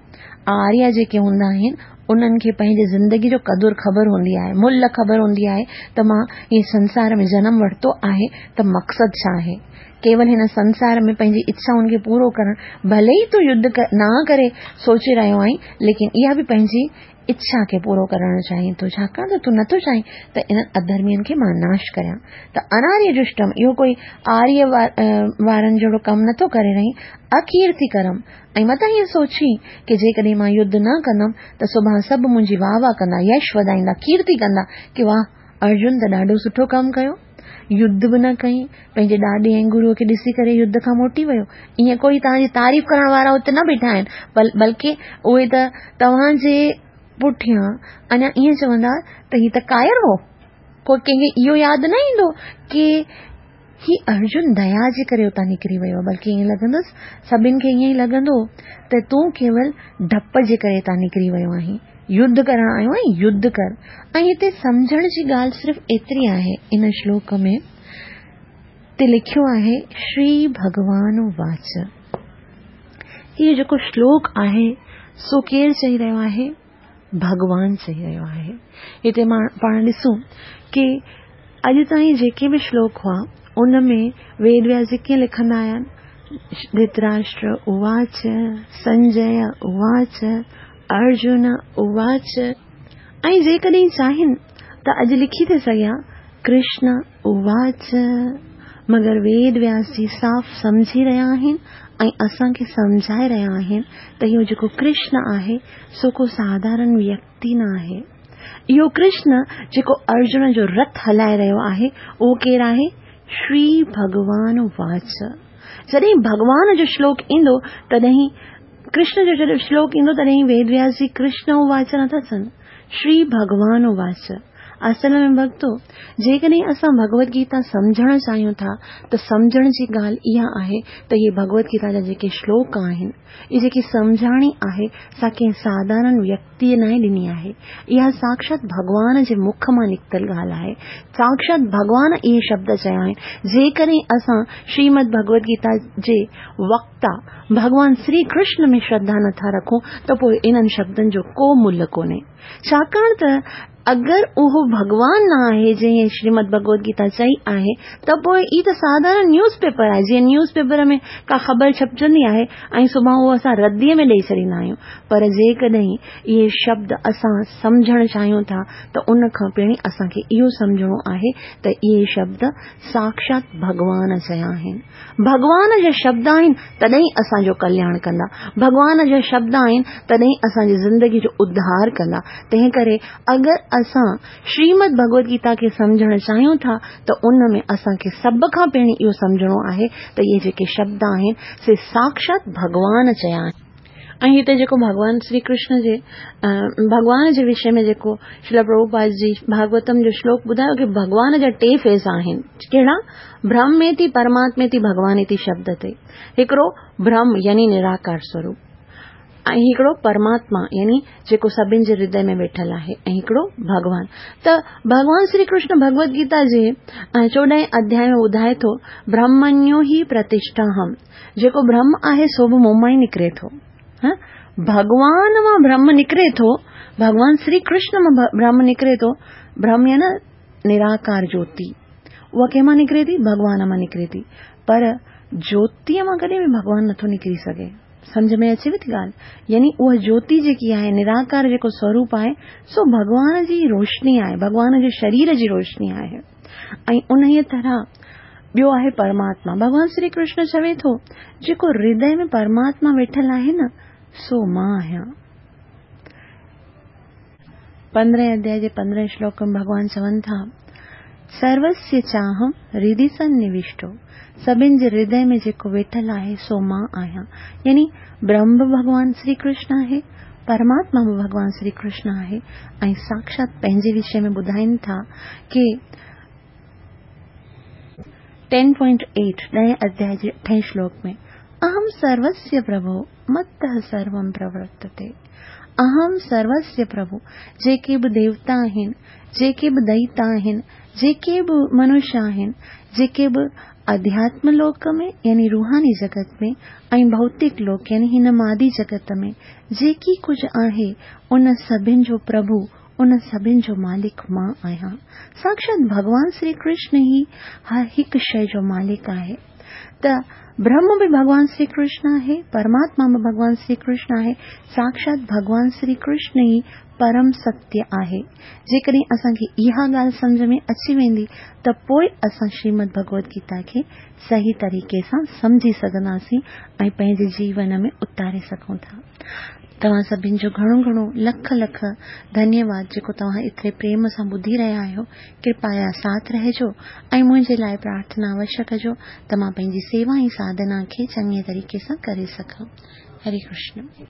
آريه جيڪي هوندا آهن، انهن کي پنهنجي زندگي جو قدر خبر هوندي آهي، ملهه خبر هوندي آهي ته مان هي سنسار ۾ جنم ورتو آهي ته مقصد ڇا آهي؟ ڪيول هن سنسار ۾ پنهنجي اڇائن کي پورو ڪرڻ، ڀلي ئي تون يڌ نه ڪري سوچي رهيو آهين، ليڪن اها به پنهنجي اڇا کي پورو ڪرڻ چاهين ٿو، ڇاڪاڻ ته تون نٿو چاهين ته انهن اڌرمين کي مان ناش ڪريان. ته اناريه جشٽم، اهو ڪوئي آريه وارن جهڙو ڪم نٿو ڪري رهين، اڪيرتي ڪرم، ۽ متان ائين سوچين ڪي جيڪڏهن مان يڌ نه ڪندم ته سڀان سڀ منهنجي واهه واهه ڪندا، يش وڌائيندا، ڪيرتي ڪندا ڪي واهه ارجن ته ڏاڍو سٺو ڪم ڪيو، يڌ به نه ڪيائين، پنهنجي ڏاڏي ۽ گروء کي ڏسي ڪري يڌ کان موٽي ويو. ائين ڪوئي توهان جي تعريف ڪرڻ وارا اتي نه بيٺا آهن، بلڪه اهي ته توهان جي پٺيان اڃا ائين چوندا ته هي ته ڪائر هو. ڪو ڪنهن کي اهو ياد نه ايندو ڪي هي ارجن ديا جي ڪري اتان نڪري ويو، بلڪه ائين لڳندس، سڀن کي ائين ئي لڳندو ته تون ڪيول ڊپ جي ڪري اتان نڪري ويو آهين، يڌ ڪرڻ آيو آهين، يڌ ڪر. ۽ هتي سمجهڻ جي ڳالهه صرف ايتري آهي، ان شلوڪ ۾ تي لکيو آهي شري ڀڳوان واچ. هي جيڪو شلوڪ آهي سو ڪير چئي رهيو آهي؟ ڀڳوان چئي رهيو آهي. هتي پاڻ ڏسون ڪي اڄ تائين جيڪي به شلوڪ هئا ان ۾ ويد وياس جي ڪيئن لکندا آيا آهن؟ ڌرتراشٽر اواچ، سنجي اواچ، ارجن اواچ ۽ جيڪڏهن چاهين ته اڄ لکي ٿي سگهيا ڪرشن اواچ. مگر ويد وياس جي صاف سمجهي رهيا آهن ۽ اسان کي سمجهائي رهيا آهن ته اهو جيڪو ڪرشن آهي سو ڪو ساڌارڻ ويڪتي نه آهي. اهو ڪرشن جيڪو ارجن جو رٿ هلائي رهيو آهي اهو ڪير آهي؟ شري ڀڳوان واچ. جڏهن ڀڳوان جو شلوڪ ايندو تڏهن ڪرشن جو جڏهن شلوڪ ايندو تڏهن ويد وياس جي ڪرشن اواچ نٿا چون، شري ڀڳوان اواچ. اصل ۾ ڀڳتو، جيڪڏهن اسان ڀڳوت گيتا سمجهڻ چاهيون ٿا ته سمجهڻ جي ڳالهه اها آهي ته اهي ڀڳوت گيتا جا جيڪي شلوڪ آهن، اهي جيڪي سمجهاڻي آهي سا ڪنهن ساڌارڻ ويڪتيء ناهي ڏني آهي. اها ساکشات ڀڳوان جي مک مان نڪتل ڳالهه آهي. ساکشات ڀڳوان اهي شبد چيا آهن. جيڪڏهن اسان شريمد ڀڳوت گيتا جي وڪتا ڀڳوان شري ڪرشن ۾ شرڌا نٿا رکون ته پوء انهن شبدن جو ڪو ملهه ڪونهي. ڇاڪاڻ ته اگر اهو ڀڳوان نه آهي جنهن شريمد ڀڳوت گيتا چئي آهي ته پوء هي ته ساڌارڻ نيوز پيپر آهي جيئن نيوز پيپر ۾ ڪا خبر ڇپجندي آهي ۽ سڀان اهو اسان رديء ۾ ڏئي ڇڏيندا آهيون پر جيڪڏهن اهي شبد اسان سمجهڻ چاهيون ٿا ته ان کان پهرين اسان کي اهو سمجهڻو آهي ته اهي شبد ساکشات ڀڳوان چيا آهن. ڀڳوان جا شبد آهن تڏهن اسان جو ڪلياڻ ڪندا، ڀڳوان جا شبد آهن تڏهن اسان جي زندگي جو اڌار ڪندا. تنهن ڪري اگر اسان شريمد ڀڳوت گيتا کي سمجهڻ چاهيون ٿا ته ان ۾ اسان کي سڀ کان پهرين اهو سمجهڻو آهي ته اهي جيڪي شبد آهن سي ساکشات ڀڳوان چيا آهن. ۽ هتي جيڪو ڀڳوان شري ڪرشن جي ڀڳوان جي وشي ۾ جيڪو شريلا پرڀوپاد جي ڀاڳوتم جو شلوڪ ٻڌايو ڪي ڀڳوان جا ٽي فيز آهن ڪهڙا برهميتي پرماتميتي ڀڳوانيتي شبد تي هڪڙو برهم يعني نراڪار سوروپ ۽ هڪڙو پرماتما يعني جيڪو سڀن جي هردي ۾ ويٺل آهي ۽ هڪڙو ڀڳوان ته ڀڳوان شري ڪرشن ڀڳوت گيتا جي چوڏهين اڌيائي ۾ ٻڌائي ٿو برهمنيو هي پرتشٺا هم جيڪو برهم آهي سو به مون مان ئي نڪري ٿو. ڀڳوان مان برهم نڪري ٿو، ڀڳوان شري ڪرشن مان برهم نڪري ٿو، برهم يعني نراڪار جوتي. اها ڪنهن مان نڪري ٿي؟ ڀڳوان مان نڪري ٿي. پر جوتيء مان ڪڏهن به ڀڳوان نٿو نڪري سگهي. سمجهه ۾ اچيو ٿي ڳالهه؟ يعني اها جوتي جيڪي آهي، نراڪار جيڪو سوروپ آهي، سو ڀڳوان جي روشني آهي، ڀڳوان جي شرير جي روشني آهي. ۽ انهيء طرح ٻيو آهي پرماتما. ڀڳوان شري ڪرشن چوي ٿو، جيڪو هردي ۾ پرماتما ويٺل آهي نه، سو مان آهيان. پندرهين اڌيائي جي پندرهين شلوڪ ۾ ڀڳوان چون ٿا، سروسيه چاهم هردي سننوشٽو، سڀن جي هردي ۾ جيڪو ويٺل آهي، سو مان آهيان. يعني برهم به ڀڳوان شري ڪرشن آهي، پرماتما به ڀڳوان شري ڪرشن آهي ۽ ساکشات پنهنجي وشي ۾ ٻڌائين ٿا ڪي ٽين پوائنٽ ايٽ، ڏهين اڌيائي جي اٺين شلوڪ ۾، اهم سروسيه پرڀو متः سروم پرورتتي، اهم سروسيه پرڀو، جيڪي به ديوتا آهن، جيڪي به دئيتا آهن، جيڪي به منش آهن، جيڪي به اڌياتم لوڪ ۾ يعني روحاني جڳت ۾ ۽ ڀوتڪ لوڪ يعني هن مادي جڳت ۾ جيڪي ڪجهه آهي، ان سڀن جو پرڀو، ان سڀن جو مالڪ مان آهيان. ساکشات ڀڳوان شري ڪرشن ئي هر هڪ شيء جو مالڪ آهي. ته برهم به ڀڳوان شري ڪرشن آهي، پرماتما به ڀڳوان شري ڪرشن آهي، ساڪشات ڀڳوان شري ڪرشن ئي پرم ستيه آهي. جيڪڏهن اسان کي اها ڳالهه سمجهه ۾ اچي ويندي ته پوء اسان شريمد ڀڳوت گيتا کي صحيح طريقي سان سمجهي سگهنداسين ۽ پنهنجي جيون ۾ اتاري سگهون ٿا. توهان سڀن جو گهڻو گهڻو لک لک ڌنيواد جيڪو توهان ايتري پريم سان ٻڌي رهيا آهيو. ڪرپايا ساٿ رهجو ۽ منهنجي لاء پرارٿنا اوشيه ڪجو ته مان پنهنجي سيوا ۽ ساڌنا کي چڱي طريقي سان ڪري سگهان. هري ڪرشن.